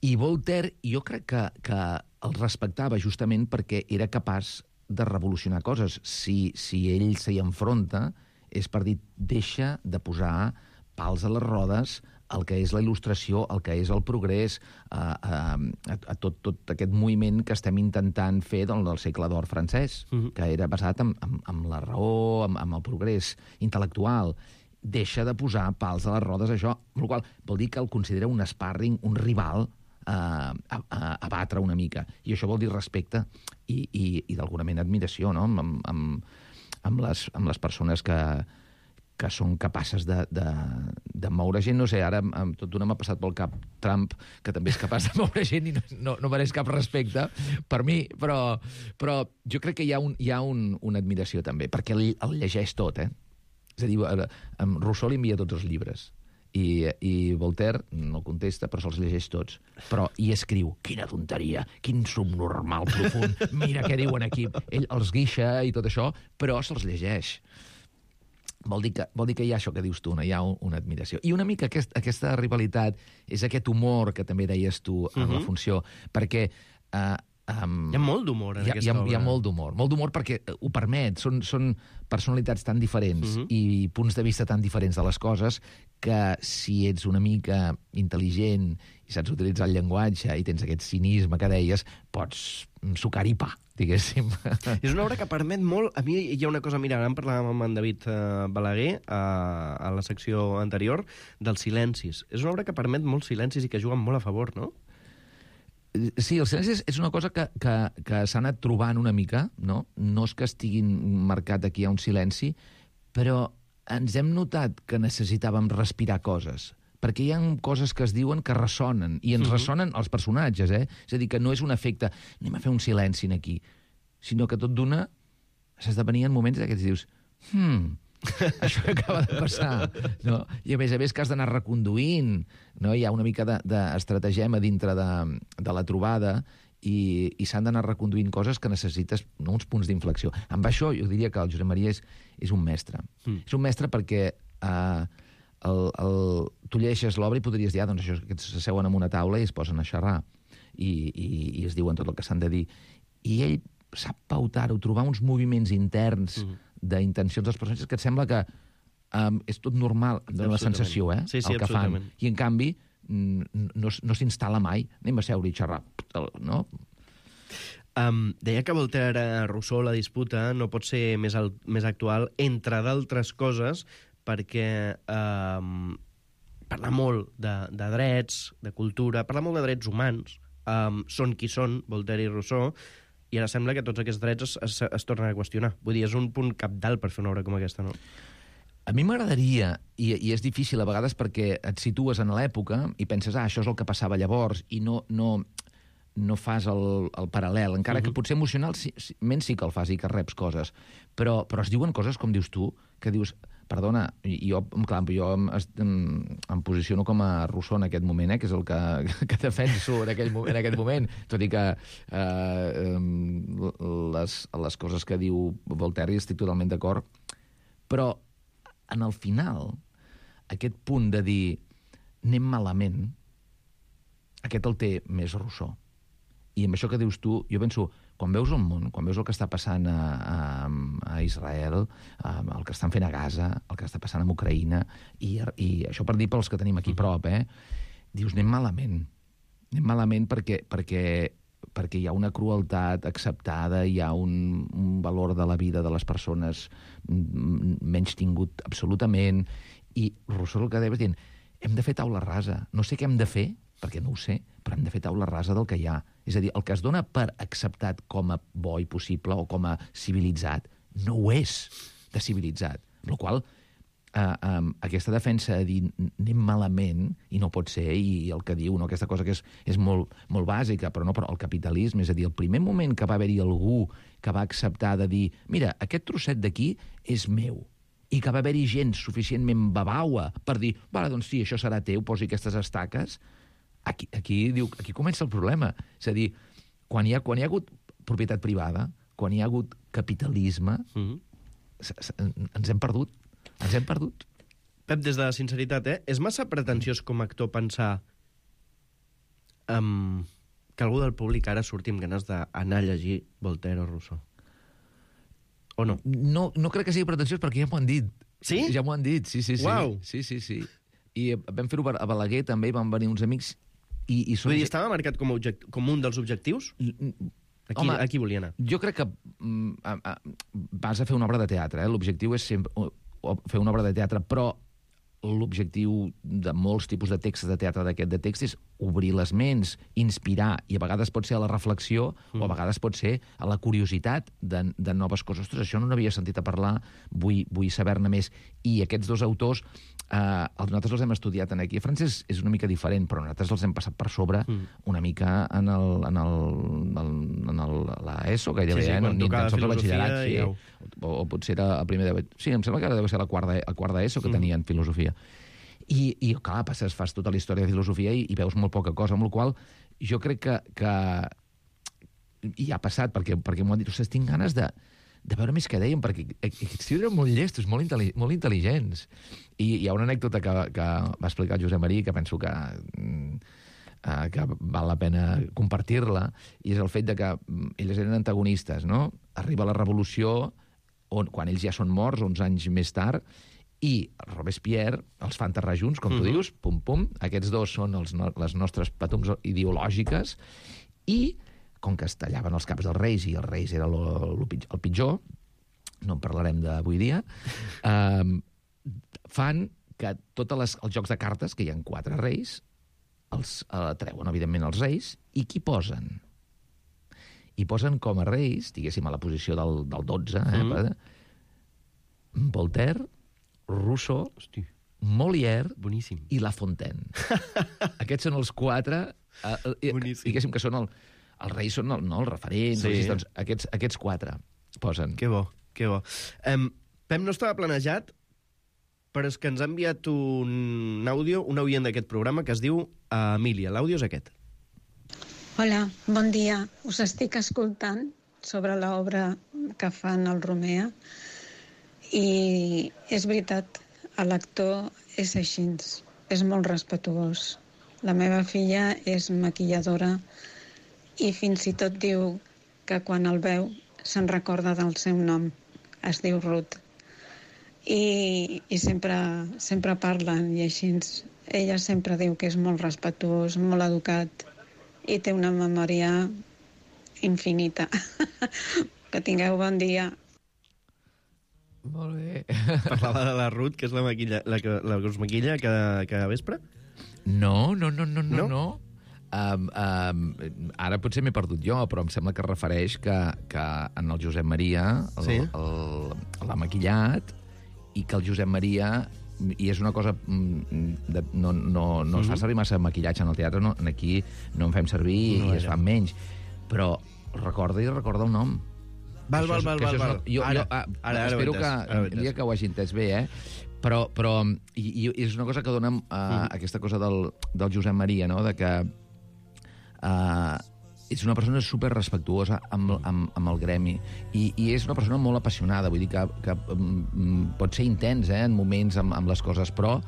I Voltaire, jo crec que, que el respectava justament perquè era capaç de revolucionar coses. Si, si ell s'hi enfronta, és per dir, deixa de posar pals a les rodes el que és la il·lustració, el que és el progrés, a, a, a tot, tot aquest moviment que estem intentant fer del, del segle d'or francès, uh-huh. que era basat en, en, en la raó, en, en el progrés intel·lectual. Deixa de posar pals a les rodes, això, el qual vol dir que el considera un sparring, un rival, a, a, a batre una mica. I això vol dir respecte i, i, i d'alguna manera admiració, no?, amb, amb, amb, les, amb les persones que... que són capaces de, de, de moure gent. No sé, ara amb tot d'una m'ha passat pel cap Trump, que també és capaç de moure gent i no, no, no mereix cap respecte per mi, però, però jo crec que hi ha, un, hi ha un, una admiració també, perquè el, el llegeix tot, eh? És a dir, amb Rousseau li envia tots els llibres, i, i Voltaire no contesta, però se'ls llegeix tots. Però hi escriu, quina tonteria, quin subnormal profund, mira què diuen aquí. Ell els guixa i tot això, però se'ls llegeix. Vol dir, que, vol dir que hi ha això que dius tu, no? Hi ha un, una admiració. I una mica aquest, aquesta rivalitat és aquest humor que també deies tu en uh-huh. la funció, perquè... Uh, um,
hi ha molt d'humor en
hi ha,
aquesta
hi ha,
obra.
Hi ha molt d'humor, molt d'humor perquè ho permet, són, són personalitats tan diferents uh-huh. i punts de vista tan diferents de les coses que si ets una mica intel·ligent i saps utilitzar el llenguatge i tens aquest cinisme que deies, pots sucar-hi pa, diguéssim.
És una obra que permet molt... A mi hi ha una cosa, mira, ara en parlàvem amb en David uh, Balaguer uh, a la secció anterior, dels silencis. És una obra que permet molts silencis i que juguen molt a favor, no?
Sí, el silenci és una cosa que, que, que s'ha anat trobant una mica, no? No és que estiguin marcat aquí a un silenci, però ens hem notat que necessitàvem respirar coses, perquè hi ha coses que es diuen que ressonen, i ens uh-huh. ressonen els personatges, eh? És a dir, que no és un efecte, anem a fer un silenci aquí, sinó que tot d'una s'esdevenien moments d'aquests dius, hmm, això que acaba de passar, no? I a més a més que has d'anar reconduint, no? Hi ha una mica d'estratagema dintre de, de la trobada i, i s'han d'anar reconduint coses que necessites, no, uns punts d'inflexió. Amb això jo diria que el Josep Maria és, és un mestre. Mm. És un mestre perquè eh, el, el, tu llegeixes l'obra i podries dir, ah, doncs això, que s'asseuen en una taula i es posen a xerrar i, i, i es diuen tot el que s'han de dir. I ell sap pautar-ho, trobar uns moviments interns mm. d'intencions dels personatges que et sembla que um, és tot normal, dona la sensació, eh?
Sí, sí,
el que fan. I en canvi no, no s'instal·la mai. Anem a seure i xerrar, no?
Um, deia que Voltaire, Rousseau, la disputa no pot ser més, al, més actual, entre d'altres coses, perquè um, parla molt de, de drets, de cultura, parla molt de drets humans, um, són qui són, Voltaire i Rousseau, i ara sembla que tots aquests drets es, es, es tornen a qüestionar. Vull dir, és un punt cabdal per fer una obra com aquesta, no?
A mi m'agradaria, i, i és difícil a vegades perquè et situes en l'època i penses, ah, això és el que passava llavors, i no, no, no fas el, el paral·lel, encara uh-huh. que potser emocionalment sí que el fas i que reps coses, però, però es diuen coses, com dius tu, que dius, perdona, jo, clar, jo em, em, em posiciono com a Rousseau en aquest moment, eh, que és el que, que defenso en, aquell, en aquest moment, tot i que eh, les, les coses que diu Voltaire hi estic totalment d'acord, però en el final, aquest punt de dir anem malament, aquest el té més Rousseau. I amb això que dius tu, jo penso, quan veus el món, quan veus el que està passant a, a, a Israel, el que estan fent a Gaza, el que està passant a Ucraïna, i, i això per dir pels que tenim aquí a prop, eh? Dius, anem malament. Anem malament perquè, perquè, perquè hi ha una crueltat acceptada, hi ha un, un valor de la vida de les persones menys tingut absolutament, i Rousseau el que deia dient, hem de fer taula rasa. No sé què hem de fer, perquè no ho sé, però hem de fer taula rasa del que hi ha. És a dir, el que es dona per acceptat com a bo i possible o com a civilitzat, no ho és de civilitzat. Amb la qual eh, eh, aquesta defensa de dir anem malament, i no pot ser, i el que diu, no, aquesta cosa que és, és molt, molt bàsica, però no, però el capitalisme, és a dir, el primer moment que va haver-hi algú que va acceptar de dir, mira, aquest trosset d'aquí és meu, i que va haver-hi gent suficientment babaua per dir, vale, doncs sí, això serà teu, posi aquestes estaques. Aquí, aquí, diu, aquí comença el problema. És a dir, quan hi ha, quan hi ha hagut propietat privada, quan hi ha hagut capitalisme, mm-hmm. ens hem perdut. Ens hem perdut.
Pep, des de la sinceritat, eh? És massa pretensiós com a actor pensar um, que algú del públic ara surti amb ganes d'anar a llegir Voltaire o Rousseau? O no?
No, no crec que sigui pretensiós perquè ja m'ho han dit.
Sí?
Ja m'ho han dit, sí, sí, sí.
Uau!
Sí, sí, sí. I vam fer-ho a Balaguer, també, i van venir uns amics. I, i
Vull dir, estava marcat com, object... com un dels objectius? Aquí,
Home,
aquí volia anar.
Jo crec que mm, a, a, vas a fer una obra de teatre, eh? L'objectiu és sempre o, o fer una obra de teatre, però l'objectiu de molts tipus de textos de teatre d'aquest de text és obrir les ments, inspirar, i a vegades pot ser a la reflexió mm. o a vegades pot ser a la curiositat de, de noves coses. Ostres, això no n'havia sentit a parlar, vull, vull saber-ne més. I aquests dos autors, eh, nosaltres els hem estudiat en aquí. A França és, és una mica diferent, però nosaltres els hem passat per sobre mm. una mica en el, en el, en el, en el, la ESO, gairebé,
sí, sí,
eh?
Quan
Ni
tocava filosofia
sí.
ja ho...
o, o potser era el primer de... Sí, em sembla que deu ser la quarta, la quarta ESO que mm. tenien filosofia. I, i clar, passes, fas tota la història de filosofia i, i veus molt poca cosa, amb la qual jo crec que, que i ha passat, perquè, perquè m'ho han dit, ostres, tinc ganes de, de veure més què deien, perquè aquests eren molt llestos, molt, intel·li molt intel·ligents. I hi ha una anècdota que, que va explicar el Josep Marí, que penso que, uh, que val la pena compartir-la, i és el fet de que ells eren antagonistes, no? Arriba la revolució, on, quan ells ja són morts, uns anys més tard, i Robespierre els fa enterrar junts, com tu uh-huh. dius, pum, pum. Aquests dos són els no, les nostres patums ideològiques, i com que es tallaven els caps dels reis, i els reis era lo, lo, el pitjor, no en parlarem d'avui dia, eh, fan que tots les, els jocs de cartes, que hi ha quatre reis, els eh, treuen, evidentment, els reis, i qui posen? I posen com a reis, diguéssim, a la posició del, del dotze, eh, mm. Voltaire, Rousseau, Hosti. Molière
Boníssim.
I La Fontaine. Aquests són els quatre, eh, diguéssim que són el, els reis són el, no, els referents, sí. doncs, aquests, aquests quatre posen.
Que bo, que bo. Um, Pep, no estava planejat, però és que ens ha enviat un àudio, un oient d'aquest programa, que es diu uh, Emília. L'àudio és aquest.
Hola, bon dia. Us estic escoltant sobre l'obra que fan el Romea. I és veritat, l'actor és així, és molt respetuós. La meva filla és maquilladora i fins i tot diu que quan el veu se'n recorda del seu nom. Es diu Ruth. I, i sempre, sempre parlen i així. Ella sempre diu que és molt respetuós, molt educat i té una memòria infinita. Que tingueu bon dia.
Molt bé.
Parlava de la Ruth, que és la, maquilla, la, que, la que us maquilla cada, cada vespre?
No, no, no, no, no. no? Um, um, ara potser m'he perdut jo, però em sembla que es refereix que, que en el Josep Maria
sí?
l'ha maquillat i que el Josep Maria, i és una cosa de, no, no, no mm-hmm. es fa servir massa maquillatge en el teatre, no, aquí no en fem servir no, i es fa menys, però recorda i recorda el nom.
Val, val, val, val, val.
Jo,
ara,
jo, ah,
ara, ara
espero que,
ara
dia que ho hagi entès bé, eh? Però, però i, i és una cosa que dona uh, mm. aquesta cosa del, del Josep Maria, no?, de que uh, és una persona super respectuosa amb, amb, amb el gremi i, i és una persona molt apassionada, vull dir que, que um, pot ser intens, eh, en moments amb, amb les coses, però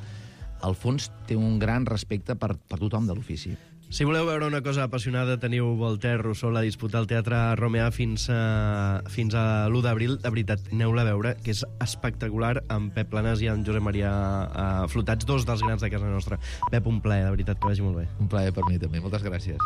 al fons té un gran respecte per, per tothom de l'ofici.
Si voleu veure una cosa apassionada, teniu Voltaire, Rousseau, la disputa al Teatre Romea fins a, fins a l'u d'abril. De veritat, aneu-la a veure, que és espectacular, amb Pep Planas i amb Josep Maria uh, Flotats, dos dels grans de casa nostra. Pep, un plaer, de veritat, que vagi molt bé.
Un plaer per mi també, moltes gràcies.